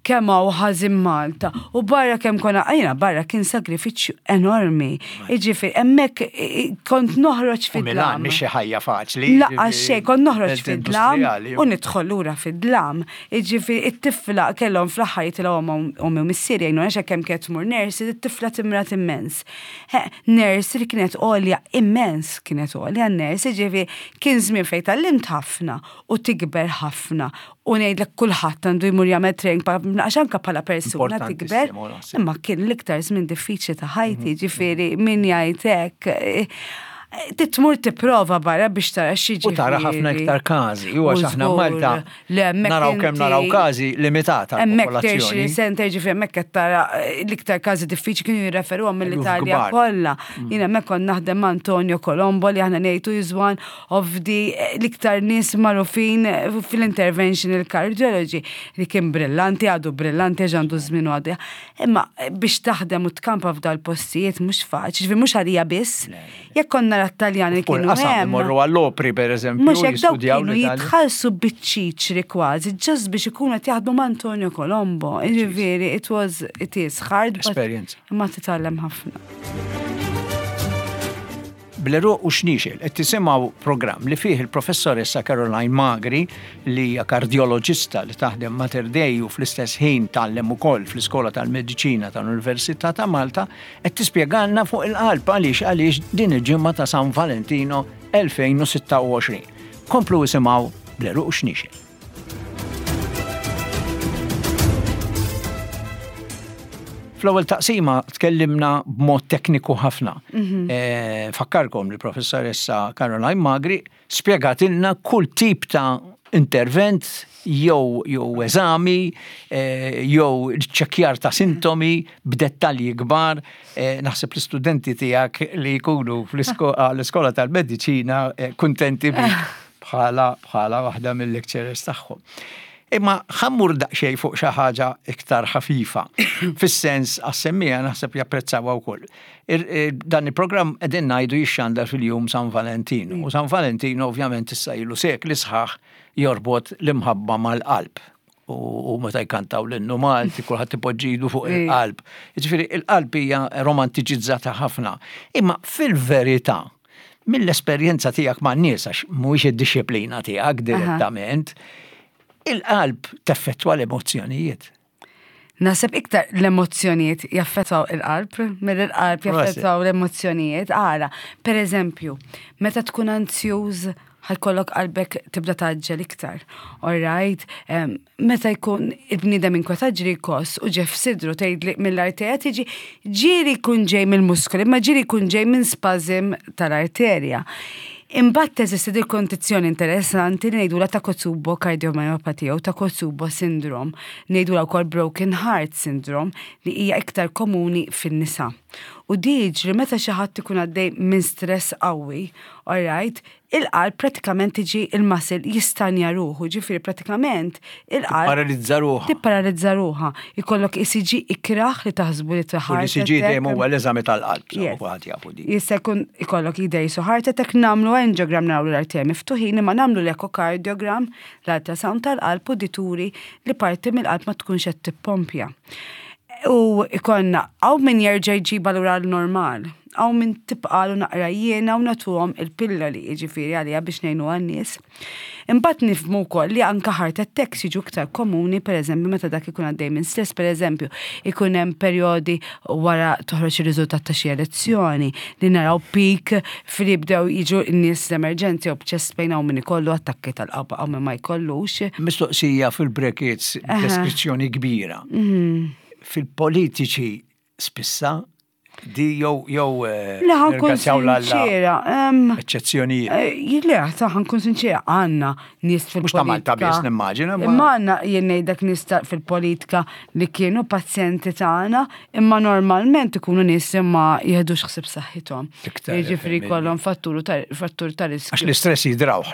Speaker 2: kemm hawn ħażin Malta u barra kemm konna jiena barra kien sagrifiċċju enormi. Jiġifieri hemmhekk kont noħroġ
Speaker 1: fid-dlam. Milan mhix xi ħajja faċli.
Speaker 2: Lanqas xejn, kont noħroġ fid-dlam u nidħol lura fid-dlam. Jiġifieri it-tifla kellhom fl-aħħar jitilgħu ommi u missieri jgħinuna għax kemm kienet tmur nurse, it-tifla timrad immens. Nurse li kienet għolja immens kienet għolja n-nurse, jiġifieri kien żmien fejn tgħallimt ħafna u tikber ħafna u ngħidlek kulħadd għandu jmur jagħmel training għax anke bħala persuna tikber. Imma kien l-iktar żmien diffiċli ta' ħajti, mhm. ġifieri min jgħid hekk eh, titmur tipprova barra biex tara xi
Speaker 1: U tara ħafna iktar każi, u għax aħna Malta naraw kemm naraw każi limitata.
Speaker 2: Hemmhekk tertiary center ġifieri hemmhekk qed tara eh, l-iktar każi diffiċli kienu jirreferuhom mill-Italja kollha. Mm. Jien hemmhekk kont naħdem ma' Antonio Colombo li aħna ngħidu is one of the l-iktar nies magħrufin fil-interventional cardiology li kien brillanti, għadu brillanti għax għandu żmien u għadu. Imma biex taħdem u tkampa f'dal postijiet mhux faċli, ġifieri mhux għalija biss. Jekk konna nara t-Taljani li kienu hemm.
Speaker 1: Morru għall-opri pereżempju.
Speaker 2: Mhux hekk dawk kienu jitħallsu biċ-ċiċri kważi, just biex ikunu qed jaħdmu ma' Antonio Colombo. Ġifieri, it was, it is hard.
Speaker 1: Experience.
Speaker 2: Imma titgħallem ħafna.
Speaker 1: Bl-għeruq u xniexel, qed tisimgħu programm li fih il-Professoressa Caroline Magri, li hija kardjoloġista li taħdem Mater Dei u fl-istess ħin tgħallem ukoll fl-Iskola tal-Mediċina tal-Università ta' Malta, qed tispjegalna fuq il-qalb għaliex għaliex din il-ġimgħa ta' San Valentino 2026. Komplu isimgħu Bl-għeruq u xniexel. Fl-ewwel taqsima tkellimna b'mod tekniku ħafna. Mhm. Eh, fakkarkom li professoressa Caroline Magri spjegatilna kull tip ta' intervent jew jew eżami eh, jew ċekkjar ta' sintomi b'dettalji kbar. Eh, naħseb l-istudenti tiegħek li jkunu fl-iskola tal-mediċina kuntenti bik bħala bħala waħda mill-lecturers tagħhom. Imma ħa mmur daqsxejn fuq xi ħaġa iktar ħafifa. Fis-sens għas-semmiegħa naħseb japprezzawha wkoll. Dan il-programm qegħdin ngħidu jixxandar fil-jum San Valentino. U San Valentino ovvjament issa ilu sekli sħaħ jorbot l-imħabba mal-qalb. U meta jkantaw l-innu Malti, kulħadd ipoġġi idu fuq il-qalb. Jiġifieri il-qalb hija romantiċizzata ħafna. Imma fil-verità, mill-esperjenza tiegħek man-nies, għax mhuwiex id-dixxiplina tiegħek direttament, il-qalb teffettwa l-emozzjonijiet.
Speaker 2: Naħseb iktar l-emozzjonijiet jaffettwaw il-qalb, mill il-qalb jaffettwaw l-emozzjonijiet. Ara, per eżempju, meta tkun anzjuż, ħa jkollok qalbek tibda tgħaġġel iktar. All right? Meta jkun il-bniedem inkwetat ġieli jkoss u ġef sidru tgħidli mill-arterja tiġi ġieli jkun ġej mill-muskoli, imma ġieli jkun ġej minn spasm tal-arterja. Imbagħad teżisti dil kondizzjoni interessanti li ngħidulha Takotsubo cardiomyopathy jew Takotsubo syndrome, ngħidulha wkoll broken heart syndrome li hija iktar komuni fin-nisa. U di jiġri meta xi ħadd ikun għaddej minn stress qawwi, all right, il-qalb pratikament tiġi il-muscle jistanja ruħu, ġifieri pratikament il-qalb.
Speaker 1: Paralizza ruħha.
Speaker 2: Tipparalizza ruħha. Ikollok ECG ikraħ li taħsbu li
Speaker 1: ta' heart L-ECG dejjem huwa l-eżami tal-qalb, kulħadd jafu
Speaker 2: di. Jista' jkun ikollok idej su heart attack nagħmlu angiogram naraw l-arterji miftuħin imma nagħmlu l-echocardiogram, l-ultrasound tal-qalb u dituri li parti mill-qalb ma tkunx qed tippompja. U ikollna hawn min jerġa' jġibha lura l-normal hawn min tibqalu naqra jiena u nagħtuhom il-pilloli, jiġifieri għaliha biex ngħinu għan-nies. Imbagħad nifhmu wkoll li anke heart attacks jiġu iktar komuni, pereżempju meta dak ikun għaddej minn stress, pereżempju, ikun hemm perjodi wara toħroġ ir-riżultat ta' xi elezzjoni li naraw peak fil jibdew jiġu n-nies l-emerġenzi u b'chest pain hawn min ikollu attakki tal-qalb hawn min ma jkollux.
Speaker 1: Mistoqsija fil-brackets deskrizzjoni kbira. Mhm. Fil-politiċi spissa Di jew jew
Speaker 2: eh, Le ħa nkun sinċiera.
Speaker 1: Eċċezzjonijiet.
Speaker 2: Eh, le, ta' ħa nkun sinċiera, għandna nies fil-politika.
Speaker 1: Mhux ta' Malta biss nimmaġina.
Speaker 2: Imma għandna jien ngħidlek nies fil-politika li kienu pazjenti tagħna, imma normalment ikunu nies li ma jieħdux ħsieb saħħithom. Jiġifieri jkollhom fattur ta' riskju.
Speaker 1: Għax l-istress jidrawh.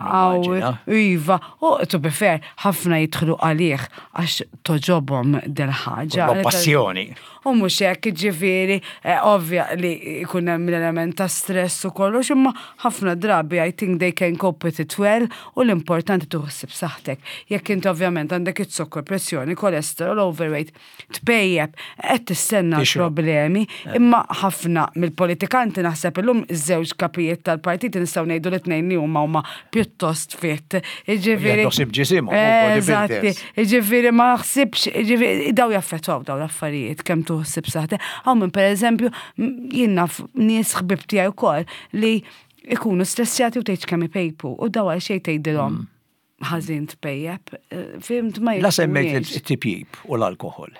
Speaker 2: Iva, u to be fair, ħafna jidħlu għalih għax togħġobhom del-ħaġa.
Speaker 1: Passjoni.
Speaker 2: U mhux hekk, ġifieri, eh, Ovvja li jkun hemm l-element ta' stress u kollox, imma ħafna drabi I think they can cope with it well u l-importanti tieħu ħsieb saħħtek. Jekk inti ovvjament għandek iz-zokkor, pressjoni, cholesterol, overweight, tpejjep, qed tistenna
Speaker 1: Tixrob.
Speaker 2: problemi, imma ħafna mill-politikanti naħseb illum iż-żewġ kapijiet tal-partiti nistgħu ngħidu li tnejn li huma huma pjuttost fit. Jiġifieri.
Speaker 1: Jieħdu ħsieb ġisimhom, u bodybuilders.
Speaker 2: Eżatti. Jiġifieri ma naħsibx, jiġifieri daw jaffettwaw daw l-affarijiet kemm tieħu ħsieb saħħtek. Hawn min pereżempju jien naf nies ħbieb tiegħi wkoll li ikunu stressjati u tgħidx kemm ipejpu u daw għal xejn tgħidilhom ħażin tpejjep. Fimt ma
Speaker 1: La semmejt it-tipjip u l-alkoħol.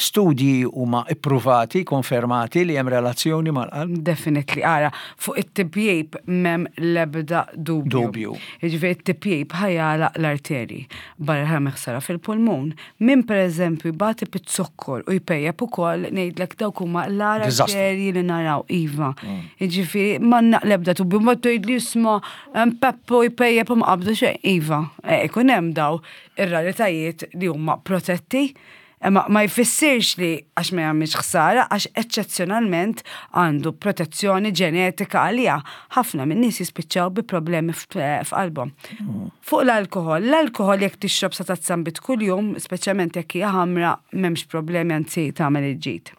Speaker 1: Studji huma ippruvati, konfermati li hemm relazzjoni mal-qalb?
Speaker 2: Definitely, ara, fuq it-tipjip m'hemm l-ebda dubju.
Speaker 1: Dubju.
Speaker 2: Jiġifieri t-tipjip ħa jagħlaq l-arterji, barra ħa ħsara fil-pulmun. Min pereżempju jbati biz-zokkor u jpejjep ukoll ngħidlek dawk huma l-agħar arterji li naraw, iva. Jiġifieri m'għandna l-ebda dubju, ma tgħidli isma' hemm Peppu jpejjep u ma qabdu xejn, iva, ikun hemm daw ir-raritajiet li huma protetti. Imma ma jfissirx li għax ma jagħmilx ħsara għax eċċezzjonalment għandu protezzjoni ġenetika għaliha. Ħafna min-nies jispiċċaw bi problemi f'qalbhom. Fuq l-alkoħol, l-alkoħol jekk tixrob sa tazza nbid kuljum, speċjalment jekk hija ħamra, m'hemmx problemi anzi tagħmel il-ġid.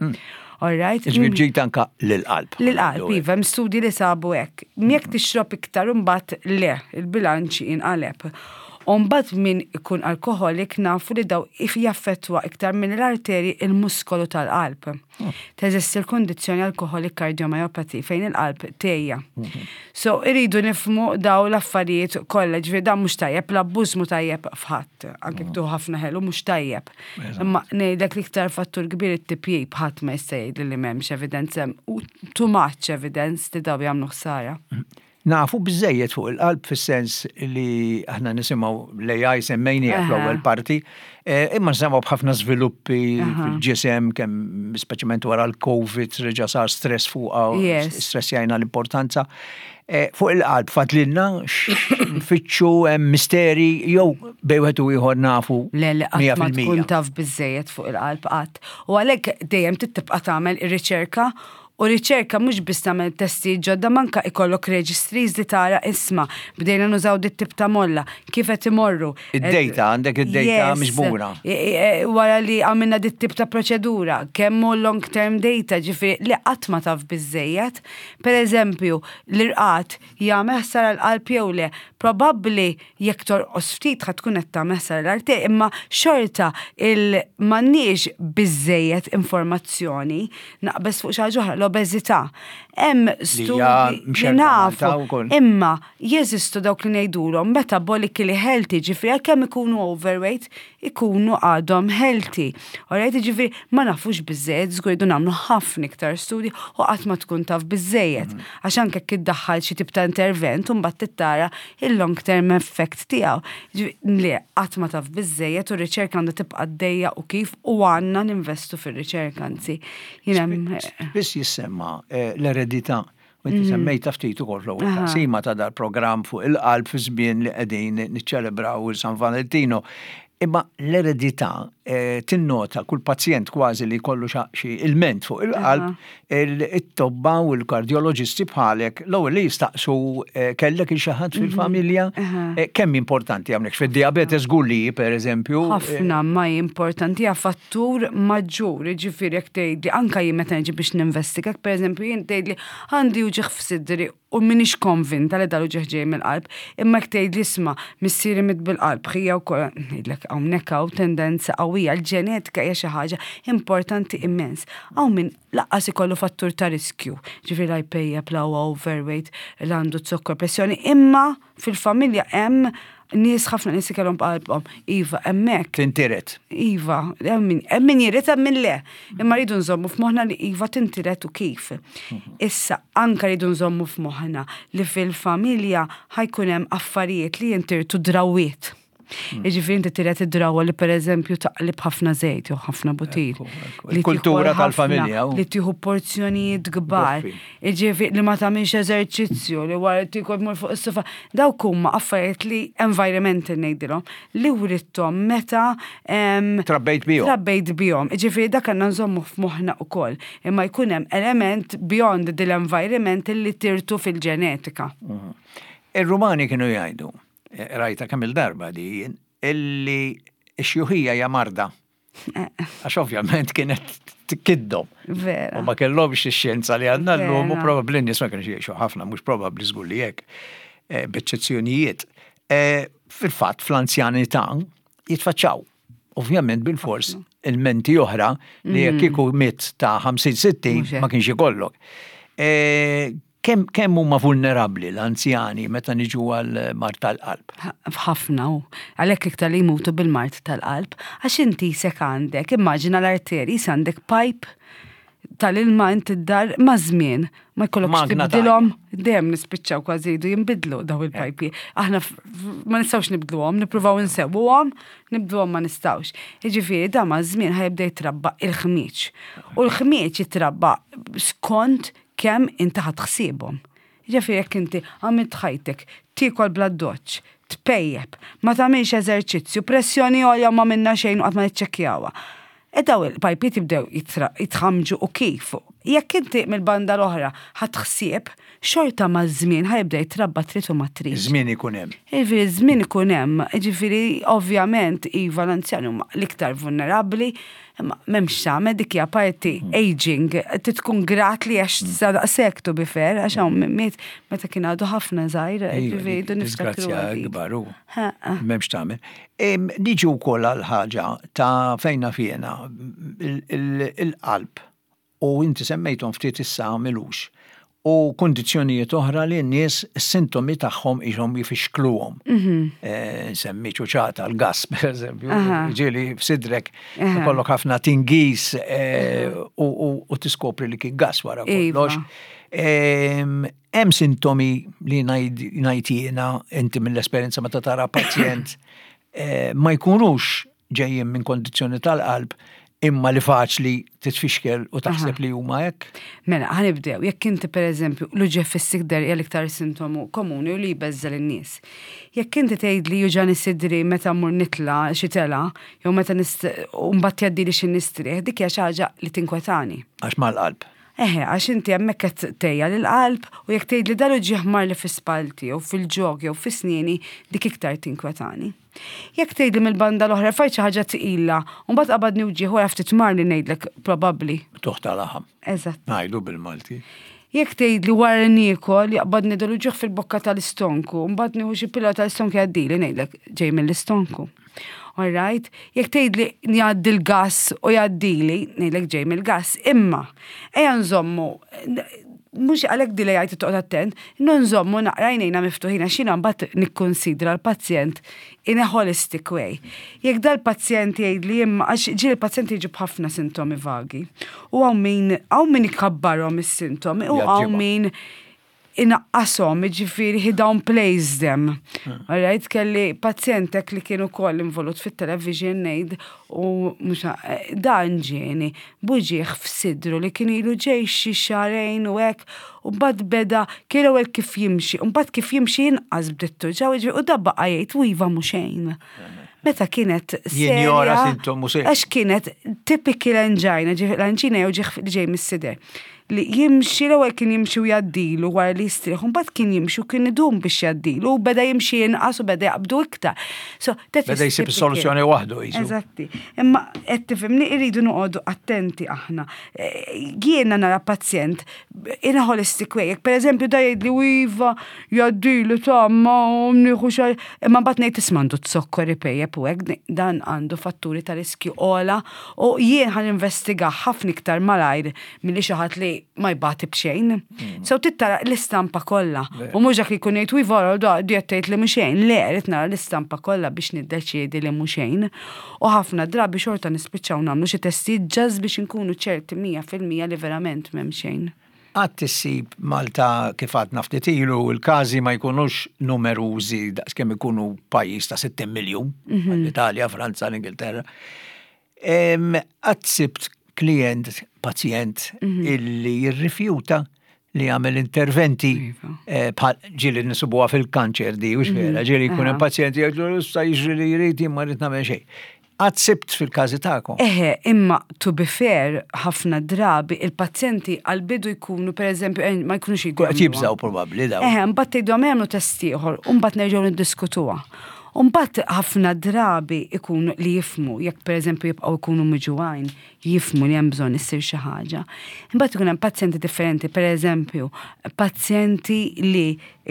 Speaker 2: All right?
Speaker 1: Jiġifieri ġid anka lill-qalb.
Speaker 2: Lill-qalb, iva, hemm studji li sabu hekk. Jekk tixrob iktar imbagħad le, il-bilanċ jinqaleb. U mbagħad min ikun alkoħolik nafu li daw jaffettwa iktar minn l-arterji il-muskolu tal-qalb. Teżisti l-kundizzjoni alcoholic cardiomyopathy fejn il-qalb tgħejja. So iridu nifhmu daw l-affarijiet kollha, ġifieri dan mhux tajjeb, l-abbuż mhu tajjeb f'ħadd, anke jekk tieħu ħafna ħelu mhux tajjeb. Imma ngħidlek l-iktar fattur kbir it-tipjip ħadd ma jista' jgħidli li m'hemmx evidence hemm too much evidence li daw jagħmlu ħsara.
Speaker 1: Nafu biżżejjed fuq il-qalb fis-sens li aħna nisimgħu l-AI semmejniha fl-ewwel parti, imma nisimgħu b'ħafna żviluppi fil-ġisem kemm speċjalment wara l-Covid reġa' sar stress fuqha, stressjajna l-importanza. Fuq il-qalb fadlilna nfittxu hemm misteri jew bejn wieħed u ieħor nafu.
Speaker 2: Le, le, qatt ma tkun taf biżżejjed fuq il-qalb qatt. U għalhekk dejjem trid tibqa' tagħmel ir-riċerka U riċerka mhux biss tagħmel testijiet ġodda ma anke ikollok registries li tara isma' bdejna nużaw dit-tip ta' molla, kif qed imorru.
Speaker 1: Id-data, għandek id-data miġbura.
Speaker 2: Wara li għamilna dit-tip ta' proċedura, kemm hu long term data, ġifieri li qatt ma taf biżżejjed. Per eżempju, l-irqad jagħmel ħsara l-qalb jew le? Probabbli Jekk torqos ftit ħa tkun qed tagħmel ħsara l-arte, imma xorta il m'għandniex biżżejjed informazzjoni naqbeż fuq xi ħaġa oħra, l-obeżità. Hemm studji li nafu, imma jeżistu dawk li ngħidulhom metabolically healthy, ġifieri għalkemm ikunu overweight, ikunu għadhom healthy. Alright, ġifieri ma nafux biżżejjed, żgur irridu nagħmlu ħafna iktar studji u qatt ma tkun taf biżżejjed. Għax anke jekk iddaħħal xi tip ta' intervent u mbagħad tittara il-long term effect tiegħu. Le, qatt ma taf biżżejjed u r-riċerka għandha tibqa' għaddejja u kif u għandna ninvestu fir-riċerka anzi.
Speaker 1: Spiss jissemma eh, l-eredità. U inti mm. semmejta ftit ukoll fl-ewwel taqsima ta' dal-programm fuq il-qalb fi żmien li qegħdin niċċelebraw il-San Valentino. Imma l-eredità eh, tinnota kull pazjent kważi li jkollu xi ilment fuq il-qalb, it-tobba u l-kardjoloġisti bħalek l-ewwel li jistaqsu eh, kellek il xi ħadd mhm. fil-familja, eh, kemm importanti hawnhekk fid-diabete żgur li pereżempju.
Speaker 2: Ħafna ma importanti hija fattur maġġur, jiġifieri jekk tgħidli anke jien meta niġi biex ninvestiga, pereżempju jien tgħidli għandi uġigħ f'sidri u m'iniex konvinta li dal-uġigħ ġej mill-qalb, imma jekk tgħidli isma' missieri miet bil-qalb, ħija wkoll, ngħidlek hawnhekk hawn tendenza qawwija, l-ġenetika hija xi ħaġa importanti immens. Hawn min lanqas ikollu fattur ta' riskju, ġifieri la jpejjep, la huwa overweight, la għandu zokkor, pressjoni, imma fil-familja hemm nies ħafna nies kellhom b'qalbhom. Iva, hemmhekk.
Speaker 1: Tintiret.
Speaker 2: Iva, hemm min jiret hemm min le. Imma rridu nżommu f'moħħna li iva tintiret u kif. Issa, anka rridu nżommu f'moħħna li fil-familja ħajkun hemm affarijiet li jintirtu drawiet. Jiġifieri inti tiret id-drawwa li pereżempju taqlib ħafna żejt jew ħafna butir.
Speaker 1: Li Kultura tal-familja.
Speaker 2: Li tieħu porzjonijiet kbar. Jiġifieri li ma tagħmilx eżerċizzju, li wara tiekol tmur fuq is-sofa. Dawk huma affarijiet li environmental ngħidilhom li writthom meta
Speaker 1: Trabbejt bihom.
Speaker 2: Trabbejt bihom. Jiġifieri dak għandna nżommu f'moħħna wkoll. Imma jkun hemm element beyond dil-environment li tirtu fil-ġenetika.
Speaker 1: Mhm. Ir-Rumani kienu jgħidu, rajta kemm il-darba di jien, illi x-xjuħija hija marda. Għax ovvjament kienet tkiddhom.
Speaker 2: Vera.
Speaker 1: U ma kellhomx ix-xjenza li għandna llum u probabbli n-nies ma kienx jgħixu ħafna, mhux probabbli żgur li hekk. Eh, b'eċċezzjonijiet. Eh, fil-fatt fl-anzjanità jitfaċċaw. Ovvjament bil-fors il-menti oħra li jekk mm. kieku mit ta' 50-60 ma kienx ikollok. Eh, Kemm kemm huma vulnerabbli l-anzjani meta niġu għal mard tal-qalb?
Speaker 2: Ħafna u għalhekk iktar li jmutu bil-mard tal-qalb, għax inti sek għandek, immaġina l-arterji, għandek pipe tal-ilma inti d-dar ma' żmien ma jkollokx tibdilhom, dejjem nispiċċaw kważi jridu jinbidlu daw il-pajpi. Aħna ma nistgħux nibdluhom, nippruvaw insewwuhom, nibdluhom ma nistgħux. Jiġifieri da ma' żmien ħajibda jitrabba il-ħmieġ. U l-ħmieġ jitrabba skont kemm inti ħadt ħsiebhom. Jiġifieri jekk inti għamilt ħajtek tiekol bl-addoċċ, tpejjep, ma tagħmilx eżerċizzju, pressjoni għolja u m'għamilna xejn u qatt ma niċċekkjawha. E daw il-pajpiet jibdew jitħammġu u kif. Jekk inti mill-banda l-oħra ħadt ħsieb, xorta maż-żmien ħa jibda jitrabba trid u ma tridx.
Speaker 1: Iż-żmien ikun hemm.
Speaker 2: Jiġifieri ż-żmien ikun hemm. Jiġifieri ovvjament iva l-anzjani huma l-iktar vulnerabbli, Imma m'hemmx x'tagħmel dik hija parti mm. aging, trid tkun grat li għax mm. sa daqshekk to be fair, għax hawn min miet meta kien għadu ħafna żgħir, ġifieri
Speaker 1: niftakru. Ikbar hu. M'hemmx tagħmel. Niġu wkoll għal ħaġa ta' fejna fjena il-qalb u inti semmejthom ftit issa m'ilux, u kundizzjonijiet oħra li n-nies is-sintomi tagħhom qishom jfixkluhom. Nsemmi ċuċata, l-gass pereżempju, ġieli f'sidrek ikollok ħafna tingiż u tiskopri li kien gass wara kollox. Hemm sintomi li ngħid jiena inti mill-esperjenza meta tara pazjent ma jkunux ġejjin minn kondizzjoni tal-qalb imma li faċli titfixkel u taħseb li huma hekk?
Speaker 2: Mela, ħanibdew, jekk inti pereżempju l-uġigħ fis-sikder hija l-iktar sintomu komuni u li jbeżżel in-nies. Jekk inti tgħid li juġani sidri meta mmur nitla' xi telgħa, jew meta u mbagħad jgħaddili xi nistrieħ, dik hija xi ħaġa li tinkwetani.
Speaker 1: Għax mal-qalb.
Speaker 2: Eħe, għax inti hemmhekk qed tgħejja lill-qalb u jekk tgħidli dal-uġigħ marli fi spallti jew fil-ġog jew fi snieni, dik iktar tinkwetani. Jekk tgħidli mill-banda l-oħra rfajt xi ħaġa tqila, u mbagħad qabadni wġigħ wara ftit marli ngħidlek probabbli.
Speaker 1: Tuħ ta' laħam.
Speaker 2: Eżatt.
Speaker 1: Ngħidu bil-Malti.
Speaker 2: Jekk tgħidli wara li niekol jaqbadni dal uġigħ fil-bokka tal-istonku, mbagħad nieħu xi pillola tal-istonku jgħaddili ngħidlek ġej mill-istonku. All right? Jekk tgħidli jgħaddi l-gass u jgħaddili, ngħidlek ġej mill-gass, imma ejja nżommu mhux għalhekk dili jgħid toqgħod attent, nżommu naqra għajnejna miftuħin għax jiena mbagħad nikkunsidra l-pazjent in a holistic way. Jekk dal-pazjent jgħidli imma għax ġieli l-pazjent jiġi b'ħafna sintomi vagi. U hawn min hawn min ikabbarhom is-sintomi u hawn min inaqqashom, jiġifieri he downplays them. Hmm. Alright, kelli pazjentek li kien ukoll involut fit-television ngħid u mhux eh, dan ġieni buġieħ f'sidru li kien ilu ġej xi xahrejn u hekk u mbagħad beda kien ewwel kif jimxi, u mbagħad kif jimxi inqas bdiet tuġa' u da baqa' jgħid u iva mhux xejn. Meta kienet
Speaker 1: Jinjora sintomu
Speaker 2: serju. Għax kienet typical angina, l-angina jew ġieħ li ġej mis-sider. Li jimxi l-ewwel kien jimxi u jgħaddilu wara li jistrieħ, mbagħad kien jimxi u kien idum biex jgħaddilu u beda jimxi inqas u beda jaqbdu iktar.
Speaker 1: So, beda jsib is-soluzzjoni waħdu
Speaker 2: jisu. Eżatti. Imma qed tifhimni irridu noqogħdu attenti aħna. Eh, jiena nara pazjent in a holistic way. Jekk pereżempju da jgħidli u iva jgħaddili ta' ma nieħu xejn, imma mbagħad ngħid isma' għandu zokkor ipejjep u hekk dan għandu fatturi ta' riskju ogħla u jien ħa ninvestiga ħafna iktar malajr milli xi ħadd li ma jbati b'xejn. Mm. So trid tara l-istampa kollha. U mhux dak li jkun jgħid u iva da di qed tgħid li mhux xejn. Le, rrid nara l-istampa kollha biex niddeċiedi li mhux xejn. U ħafna drabi xorta nispiċċaw nagħmlu xi testijiet just biex inkunu ċerti 100% li verament m'hemm xejn.
Speaker 1: Qatt issib Malta kif għadna ftit ilu il-każi ma jkunux numerużi daqskemm ikunu pajjiż ta' 60 miljun, l-Italja, Franza, l-Ingilterra. Qatt sibt klient, pazjent illi jirrifjuta li jagħmel interventi iva. eh, bħal ġieli nisibuha fil-kanċer di, u vera, ġieli jkun hemm pazjenti jgħidlu issa jiġri li jrid jien ma rrid nagħmel xejn. Qatt sibt fil-każi tagħkom?
Speaker 2: Eħe, imma to be fair, ħafna drabi il-pazjenti għal-bidu jkunu pereżempju eh, ma jkunux
Speaker 1: jgħidu. Qed jibżgħu probabbli dawn.
Speaker 2: Eħe, mbagħad tgħidhom jagħmlu test ieħor u mbagħad nerġgħu niddiskutuha. U mbagħad ħafna drabi ikunu li jifmu, jekk pereżempju jibqgħu jkunu miġugħin, jifmu li hemm bżonn issir xi ħaġa. Imbagħad ikun hemm pazjenti differenti, pereżempju, pazjenti li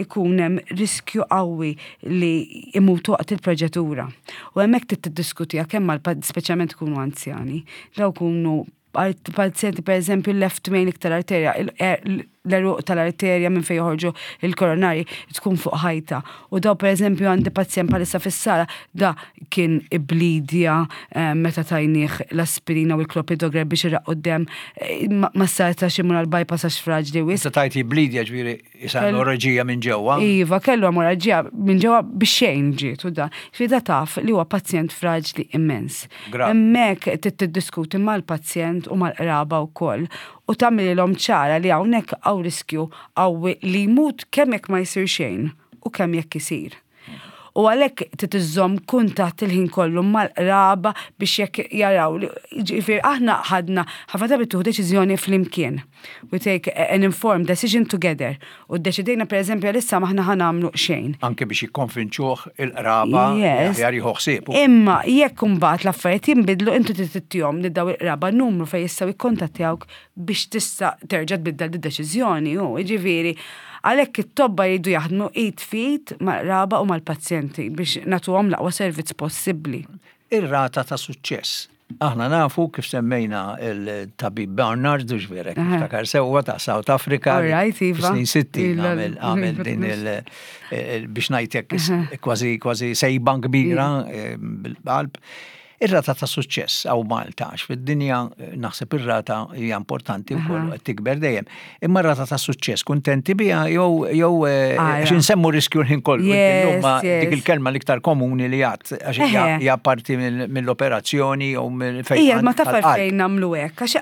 Speaker 2: ikun hemm riskju qawwi li imutu waqt il-proċedura. U hemmhekk trid tiddiskutiha kemm mal speċjalment ikunu anzjani, daw kunu pazjenti per eżempju left main iktar arterja, l-eruq tal-arterja minn fejn joħorġu il-koronari tkun fuq ħajta. U daw per eżempju għandi pazjent bħalissa fis-sala da kien iblidja eh, meta tajnieh l-aspirina u l-klopidogrel biex irraqqu d-dem eh, ma setax imur għal-bypass għax fraġli
Speaker 1: wisq. Meta tajt jiblidja ġifieri isa emorraġija minn ġewwa.
Speaker 2: Iva, kellu emorraġija minn ġewwa biex xejn ġiet u da. Ġifieri da taf li huwa pazjent fraġli immens. Hemmhekk trid tiddiskuti mal-pazjent u mal-qraba wkoll u tagħmililhom ċara li hawnhekk hawn riskju qawwi li jmut kemm jekk ma jsir xejn u kemm jekk isir. U għalhekk trid iżżomm kuntatt il-ħin kollu mal-qraba biex jekk jaraw li ġifieri aħna ħadna ħafna drabi tieħu deċiżjoni flimkien. We take an informed decision together. U ddeċidejna pereżempju għalissa m'aħna ħa nagħmlu xejn.
Speaker 1: Anke biex jikkonvinċuh il-qraba li aħjar jieħu ħsiebu.
Speaker 2: Imma jekk imbagħad l-affarijiet jinbidlu inti trid ittihom lil dawn il-qraba numru fejn jistgħu jikkontattjawk biex tista' terġa' tbiddel d-deċiżjoni hu. Jiġifieri għalhekk it-tobba jridu jaħdmu id f'id mal-qraba u mal-pazjenti biex nagħtuhom l-aqwa servizz possibbli.
Speaker 1: Ir-rata ta' suċċess. Aħna nafu kif semmejna il-tabib Barnard, u ġverek, niftakar sewwa ta' South Africa.
Speaker 2: Right, iva.
Speaker 1: Snin 60 għamel din il biex ngħidlek kważi kważi sejba kbira eh, bil-qalb. Ir-rata ta' suċċess hawn Malta, għax fid-dinja eh, naħseb ir-rata hija importanti wkoll qed tikber dejjem. Imma r-rata ta' suċċess kuntenti biha jew jew eh, għax insemmu riskju l-ħin kollu. Dik il-kelma l-iktar komuni li għad għax hija parti mill-operazzjoni jew mill
Speaker 2: fejn. Ija, ma taf fejn nagħmlu hekk, għax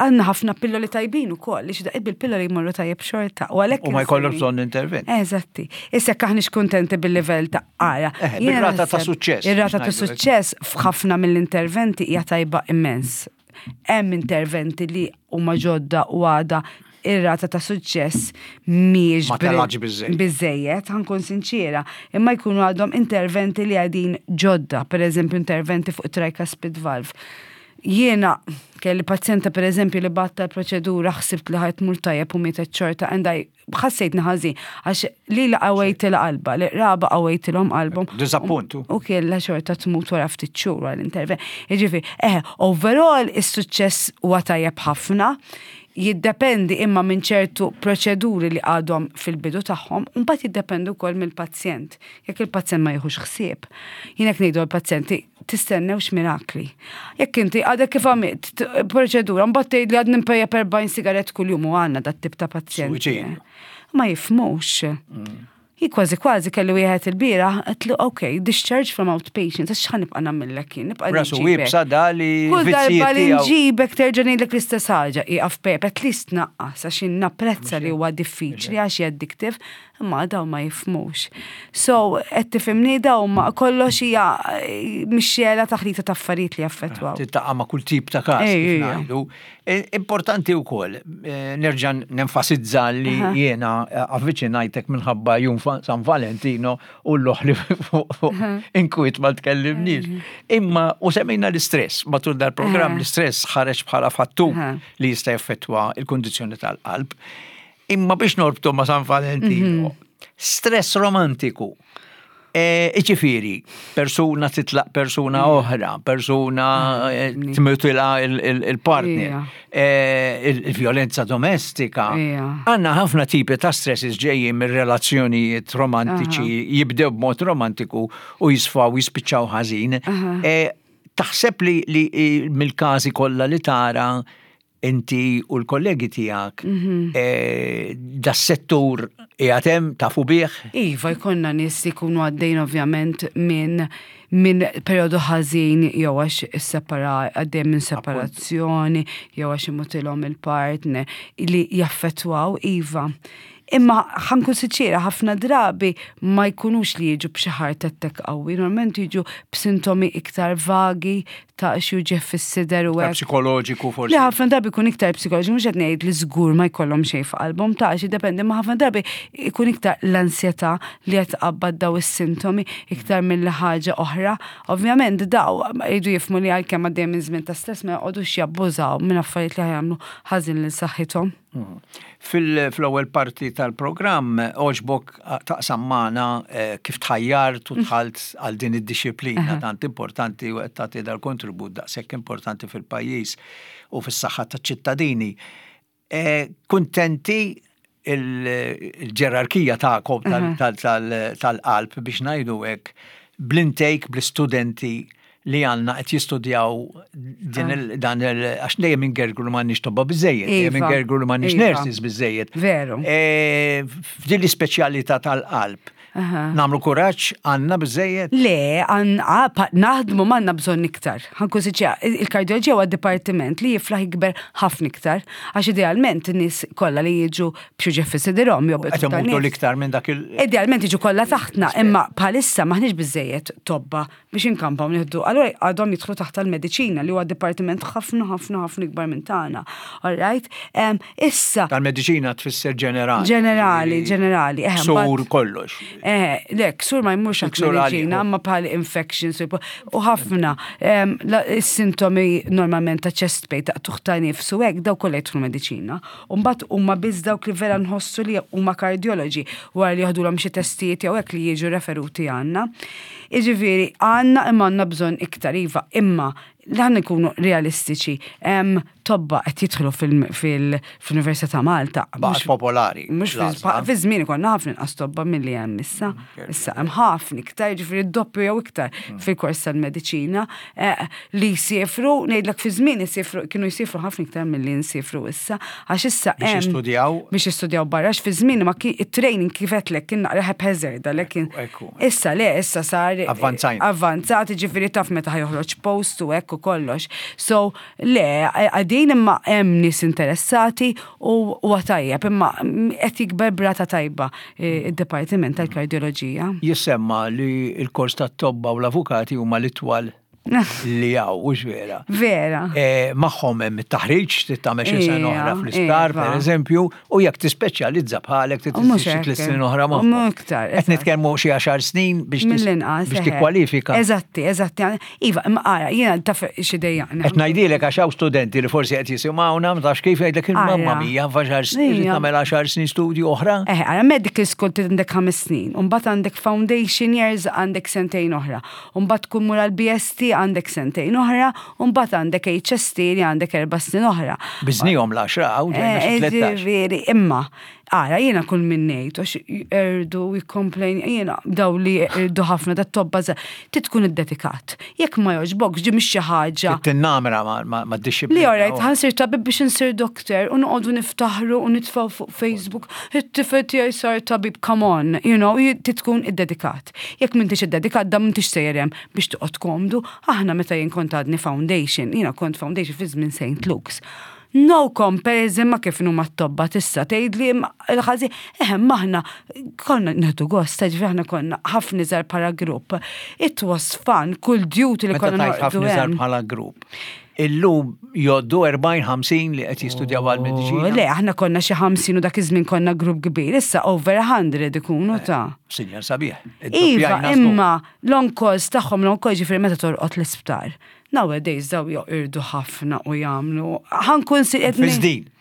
Speaker 2: għandna ħafna pilloli tajbin ukoll, li xi bil-pilloli jmorru tajjeb xorta.
Speaker 1: U għalhekk. U ma jkollok bżonn intervent.
Speaker 2: Eżatti. Issa jekk aħniex kuntenti bil-livell ta' ara.
Speaker 1: Eh, ir-rata ta' suċċess.
Speaker 2: Ir-rata ta' suċċess f'ħafna mill-interventi hija tajba immens. Hemm interventi li huma ġodda u għada ir-rata ta' suċċess mhijiex biżejjed, ħankun sinċiera, imma jkunu għadhom interventi li għadin ġodda, per eżempju interventi fuq tricuspid valve. Jiena kelli pazjenta per eżempju li batta l-proċedura ħsibt li ħajt mur tajjeb u mietet xorta and I ħassejtni ħażin għax lili qawwejtilha qalbha, li qraba qawwejtilhom qalbhom.
Speaker 1: Diżappuntu.
Speaker 2: U kiella xorta tmut wara ftit xhur wara l-intervent. Jiġifieri, eh, overall is-suċċess huwa tajjeb ħafna, jiddependi imma minn ċertu proċeduri li għadhom fil-bidu tagħhom, u mbagħad jiddependi wkoll mill-pazjent. Jekk il-pazjent ma jieħux ħsieb. Jien hekk ngħidu għall-pazjenti, tistennewx mirakli. Jekk inti għadek kif għamilt proċedura, mbagħad tgħid li għadni npejjep 40 sigarett kuljum u għandna dat tip ta' pazjenti. Ma jifmux. Mm. Hi kważi kważi kelli wieħed il-bieraħ, għedtlu ok, discharge from outpatient, għax x'ħa nibqa' nagħmillek jien, nibqa'
Speaker 1: Rasu iebsa da li
Speaker 2: Kull darba li nġibek terġa' ngħidlek l-istess ħaġa, ieqaf pejjep, at least naqqas għax jien napprezza li huwa diffiċli għax hi addictive, Imma dawn ma jifhmux. So, qed tifhimni dawn ma kollox hija eh, mixxela taħlita ta' affarijiet li jaffettwaw.
Speaker 1: Tiltaqa' ma' kull tip ta' każ kif ngħidu. E, importanti wkoll eh, nerġa' nenfasizza li jiena eh, avviċinajtek minħabba jum San Valentino u l-oħli inkwiet ma tkellimniex. Imma u semmejna l-istress matul dal-programm l-istress ħareġ bħala fattur li jista' jaffettwa il-kundizzjoni tal-qalb. Imma biex norbtu ma' San Valentino, mhm. stress romantiku. E, iġifiri, persuna titlaq persuna mm. oħra, persuna mm. e, tmutila il-partner, e, il-violenza domestika. Għanna ħafna tipi ta' stresses ġejjin mir relazzjonijiet romantiċi, jibdew b'mod romantiku u jisfaw jispiċċaw ħażin. Taħseb li mill-każi kollha li tara. Inti u l-kollegi tiegħek das-settur qiegħed hemm tafu bih?
Speaker 2: Iva, jkollna nies li jkunu għaddejn ovvjament minn minn perjodu ħażin jew għax issepara għaddej minn separazzjoni jew għax imutilhom il-partner li jaffettwaw iva. Imma ħa nkun sinċiera ħafna drabi ma jkunux li jiġu b'xi heart attack qawwi, normalment jiġu b'sintomi iktar vagi ta' xi uġigħ fis-sider u
Speaker 1: hekk. Psikoloġiku forsi.
Speaker 2: Li ħafna drabi jkun iktar psikoloġiku, mhux qed ngħid li żgur ma jkollhom xejn f'qalbhom ta' xi dependi, ma ħafna drabi jkun iktar l-ansjetà li qed tqabbad daw is-sintomi iktar milli ħaġa oħra. Ovvjament daw jridu jifhmu li għalkemm għaddejjin minn żmien ta' stress ma joqogħdux jabbużaw minn affarijiet li ħa jagħmlu ħażin lil saħħithom.
Speaker 1: Fil-ewwel parti tal-programm għoġbok taqsam magħna kif tħajjart u dħalt għal din id-dixxiplina tant importanti u qed tagħti dal-kontribut daqshekk importanti fil-pajjiż u fis-saħħa taċ-ċittadini. Kuntenti il-ġerarkija tagħkom tal-qalb biex ngħidu hekk bl-intake bl-istudenti li għandna qed jistudjaw din il dan il għax dejjem ingergru li m'għandniex tobba biżejjed, dejjem iva, ingergru li m'għandniex iva. nurses biżejjed.
Speaker 2: Veru.
Speaker 1: E, f'din l-ispeċjalità tal-qalb. Namlu kuraġġ għandna biżejjed?
Speaker 2: Le, naħdmu m'għandna bżonn iktar. Ħankun siċja, il-kardjoloġija huwa dipartiment li jiflaħ jikber ħafna iktar, għax idealment in-nies kollha li jiġu b'xi ġef fis-sidirhom
Speaker 1: jew Qed imutu l-iktar minn dak il-
Speaker 2: Idealment jiġu kollha taħtna, imma bħalissa m'aħniex biżejjed tobba biex inkampaw nieħdu. Allura għadhom jidħlu taħt tal-mediċina li huwa dipartiment ħafna ħafna ħafna ikbar minn tagħna. All right? Issa.
Speaker 1: Tal-mediċina tfisser ġenerali.
Speaker 2: Ġenerali, ġenerali.
Speaker 1: Eh, ksur kollox.
Speaker 2: Eh, le, ksur ma jmurx għal mediċina, ma bħal infections u ħafna is-sintomi normalment ta' chest pain, ta' tuħ ta' nifs u hekk daw kollha jidħlu mediċina. U mbagħad huma biss dawk li vera nħossu li huma kardjoloġi wara li joħdulhom xi testijiet jew hekk li jiġu referuti għandna. Jiġifieri għandna imma għandna bżonn iktar iva, imma ħa nkunu realistiċi, hemm tobba qed jidħlu fil-Università ta' Malta.
Speaker 1: Baqgħet popolari.
Speaker 2: Mhux fi żmien konna ħafna inqas tobba milli hemm issa. Issa hemm ħafna iktar, jiġifieri d-doppju jew iktar fil-kors tal-mediċina eh, li jsifru, ngħidlek fi żmien isifru kienu jsifru ħafna iktar milli nsifru issa, għax issa
Speaker 1: Biex jistudjaw.
Speaker 2: Biex jistudjaw barra, għax fi żmien ma kien it-training kif għedtlek kien naqra haphazard għalhekk kien. Issa le, issa sar.
Speaker 1: Avvanzajna.
Speaker 2: Avvanzat, ġifieri taf meta ħa joħroġ post u hekk u kollox. So, le, qegħdin imma hemm nies interessati u huwa tajjeb, imma qed jikber b'rata tajba id-dipartiment tal-kardjoloġija.
Speaker 1: Jissemma li l-kors tat-tobba u l-avukati huma l-itwal li hawn, hux vera?
Speaker 2: Vera.
Speaker 1: E, magħhom hemm it-taħriġ, trid tagħmel xi sena oħra fl-isptar, per eżempju, u jekk tispeċjalizza bħalek trid xi tliet snin oħra magħhom.
Speaker 2: Iktar.
Speaker 1: Qed nitkellmu xi għaxar snin biex
Speaker 2: mill-inqas
Speaker 1: biex tikkwalifika.
Speaker 2: Eżatti, eżatti. Iva, imma ara, jiena taf xi dejjaqni.
Speaker 1: Qed ngħidilek għax hawn studenti li forsi qed jisimgħuna, ma tafx kif jgħidlek il-mamma mija f'għaxar snin tagħmel għaxar snin studju oħra.
Speaker 2: Eh, ara medical school għandek ħames snin, u mbagħad għandek foundation years għandek sentejn oħra. U mbagħad tkun mur għal BST għandek sentejn oħra, u mbagħad għandek HST li għandek erba' snin oħra.
Speaker 1: Biżnihom l-għaxra hawn ġejna xi 13.
Speaker 2: Ġifieri, imma ara jiena kull min ngħid għax jqerdu jikkomplejn jiena daw li jqerdu ħafna dat tobba trid tkun iddedikat. Jekk ma jogħġbokx di mhix xi ħaġa.
Speaker 1: Trid tinnamra mad-dixxiplina.
Speaker 2: Li alright, ħa nsir tabib biex insir doctor u noqogħdu niftaħru u nitfgħu fuq Facebook, it-tifel tiegħi sar tabib, come on, you know, trid tkun iddedikat. Jekk m'intix iddedikat dan m'intix sejjer hemm biex toqgħod komdu. Aħna meta jien kont għadni foundation, jiena kont foundation fi żmien St. Luke's. No comparison ma' kif inhuma t-tobba t'issa tgħidli il-ħażin, eħe imma aħna konna nieħdu gost, jiġifieri aħna konna ħafna iżgħar bħala grupp. It was fun, kull duty li konna
Speaker 1: Meta tgħid ħafna iżgħar bħala grupp. Illum jgħoddu 40-50 li qed jistudjaw għal mediċina.
Speaker 2: Le, aħna konna xi 50 u dak iż-żmien konna grupp kbir, issa over 100 ikunu ta'.
Speaker 1: Sinjal sabiħ.
Speaker 2: Iva, imma l-on calls tagħhom l-on calls ġifieri meta torqod l-isptar. Nowadays daw joqirdu ħafna u jagħmlu. Ħankun si
Speaker 1: qed. Fiżdin.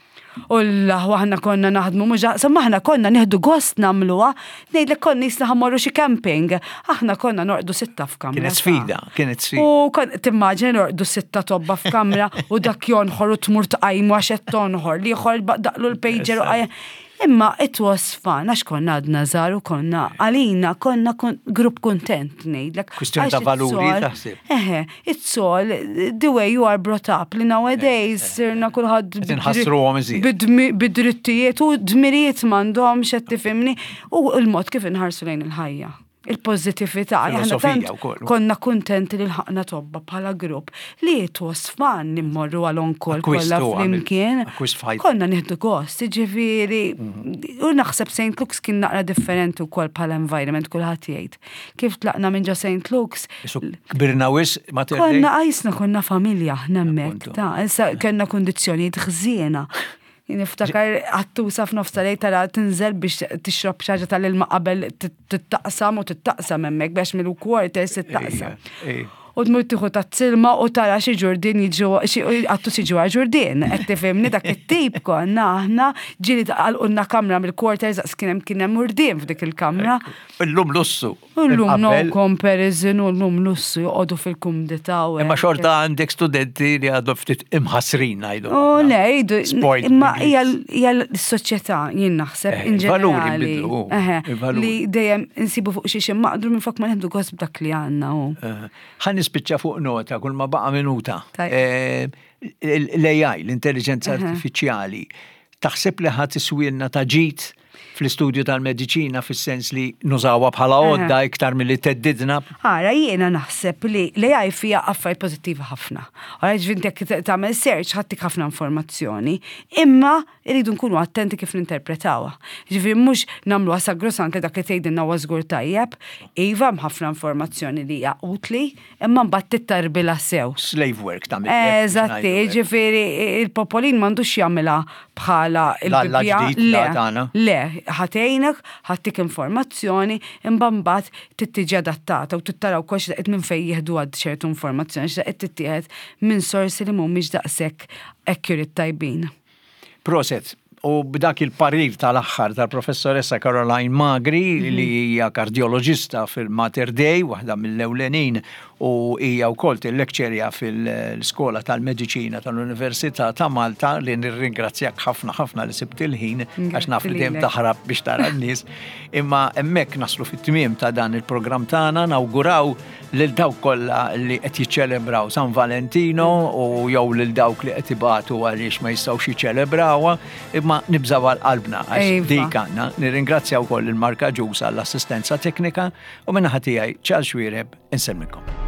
Speaker 2: U l-aħwa aħna konna naħdmu mhux ġaqsam aħna konna nieħdu gost nagħmluha, ngħidlek konna jisna ħammorru xi camping. Aħna konna norqdu sitta f'kamra.
Speaker 1: Kienet sfida, kienet sfida.
Speaker 2: U kon timmaġina norqdu sitta tobba f'kamra u dak jonħor u tmur tqajmu għax qed tonħor, l-ieħor daqlu l-pager u qajjem. Imma it was fun, għax konna għadna żgħar u konna għalina konna grupp kuntent ngħidlek.
Speaker 1: Kwistjoni ta' valuri taħseb.
Speaker 2: Eħe, it's all the way you are brought up li nowadays eh, eh. sirna kulħadd
Speaker 1: inħassruhom iżjed.
Speaker 2: Bid-drittijiet u dmirijiet m'għandhomx qed tifhimni u l-mod kif inħarsu lejn il-ħajja il-pozzitività. Aħna tant konna kuntenti li lħaqna tobba bħala grupp li it was fun li mmorru għal on-call kollha flimkien. Konna nieħdu gost, ġifieri, mhm. u naħseb St. Luke's kien naqra differenti wkoll bħala environment kulħadd jgħid. Kif tlaqna minn ġo St. Luke's.
Speaker 1: Kbirna wis
Speaker 2: ma Konna qajsna konna familja aħna hemmhekk, ta' issa kellna kundizzjonijiet ħżiena. Niftakar għattusa f'nofs tal-lejl tara tinżel biex tixrob xi ħaġa tal-ilma qabel tittaqsam u tittaqsam hemmhekk biex mill-quarters tittaqsam. U tmur tieħu tazz-ilma u tara xi ġurdien jiġu xi qattus jiġu għal ġurdien. Qed tifhimni dak it-tip konna aħna ġieli għalqulna kamra mill-quarters daqs kien hemm kien hemm urdien f'dik il-kamra.
Speaker 1: Illum lussu.
Speaker 2: Illum no comparison u llum lussu joqogħdu fil-kumdità u.
Speaker 1: Imma xorta għandek studenti li għadhom ftit imħassrin ngħidu.
Speaker 2: U le, jgħidu. Imma hija l-soċjetà jien naħseb eh, in ġenerali. Li dejjem insibu fuq xi maqdru minn flok ma nieħdu gost b'dak li għandna.
Speaker 1: Ħa nispiċċa fuq nota kull ma baqa' minuta. Eh, L-AI, l-intelligenza artifiċjali, taħseb li ħa tiswielna ta' ġid fl-istudju tal-mediċina fis-sens li nużawha bħala għodda iktar milli theddidna?
Speaker 2: Ara, jiena naħseb li l-AI fiha affarijiet pożittivi ħafna. Ara, ġifieri inti jekk tagħmel search ħa ttik ħafna informazzjoni, imma rridu nkunu attenti kif ninterpretawha. Ġifieri mhux nagħmluha sagrosant li dak li tgħidilna huwa żgur tajjeb. Iva hemm ħafna informazzjoni li hija utli, imma mbagħad tittarbilha sew.
Speaker 1: Slave work
Speaker 2: tagħmel. Eżatti, ġifieri il-popolin m'għandux jagħmilha bħala
Speaker 1: il-Bibbja. Le,
Speaker 2: le, ħa tgħinek, ħa ttik informazzjoni, imma mbagħad trid tiġi adattata u trid tara wkoll x'daqqiet minn fejn jieħdu għad ċertu informazzjoni, x'daqqiet tittieħed minn sorsi li mhumiex daqshekk accurate tajbin.
Speaker 1: Proset. U b'dak il-parir tal-aħħar tal-Professoressa Caroline Magri mhm. li hija kardjoloġista fil-Mater Dei, waħda mill-ewlenin u hija wkoll tillekċerja fil-Skola tal-Mediċina tal-Università ta' Malta li nirringrazzjak ħafna ħafna li sibt il-ħin għax naf li dejjem taħrab biex tara n-nies. Imma hemmhekk naslu fit-tmiem ta' dan il-programm tagħna nawguraw lil dawk kollha li qed jiċċelebraw San Valentino u jew lil dawk li qed ibatu għaliex ma jistgħux jiċċelebrawha, imma nibżgħu għal qalbna għax iva. dik għandna. Nirringrazzja wkoll il-Marka Ġus għall-assistenza teknika u minn tiegħi Charles Xwiereb insemmilkom.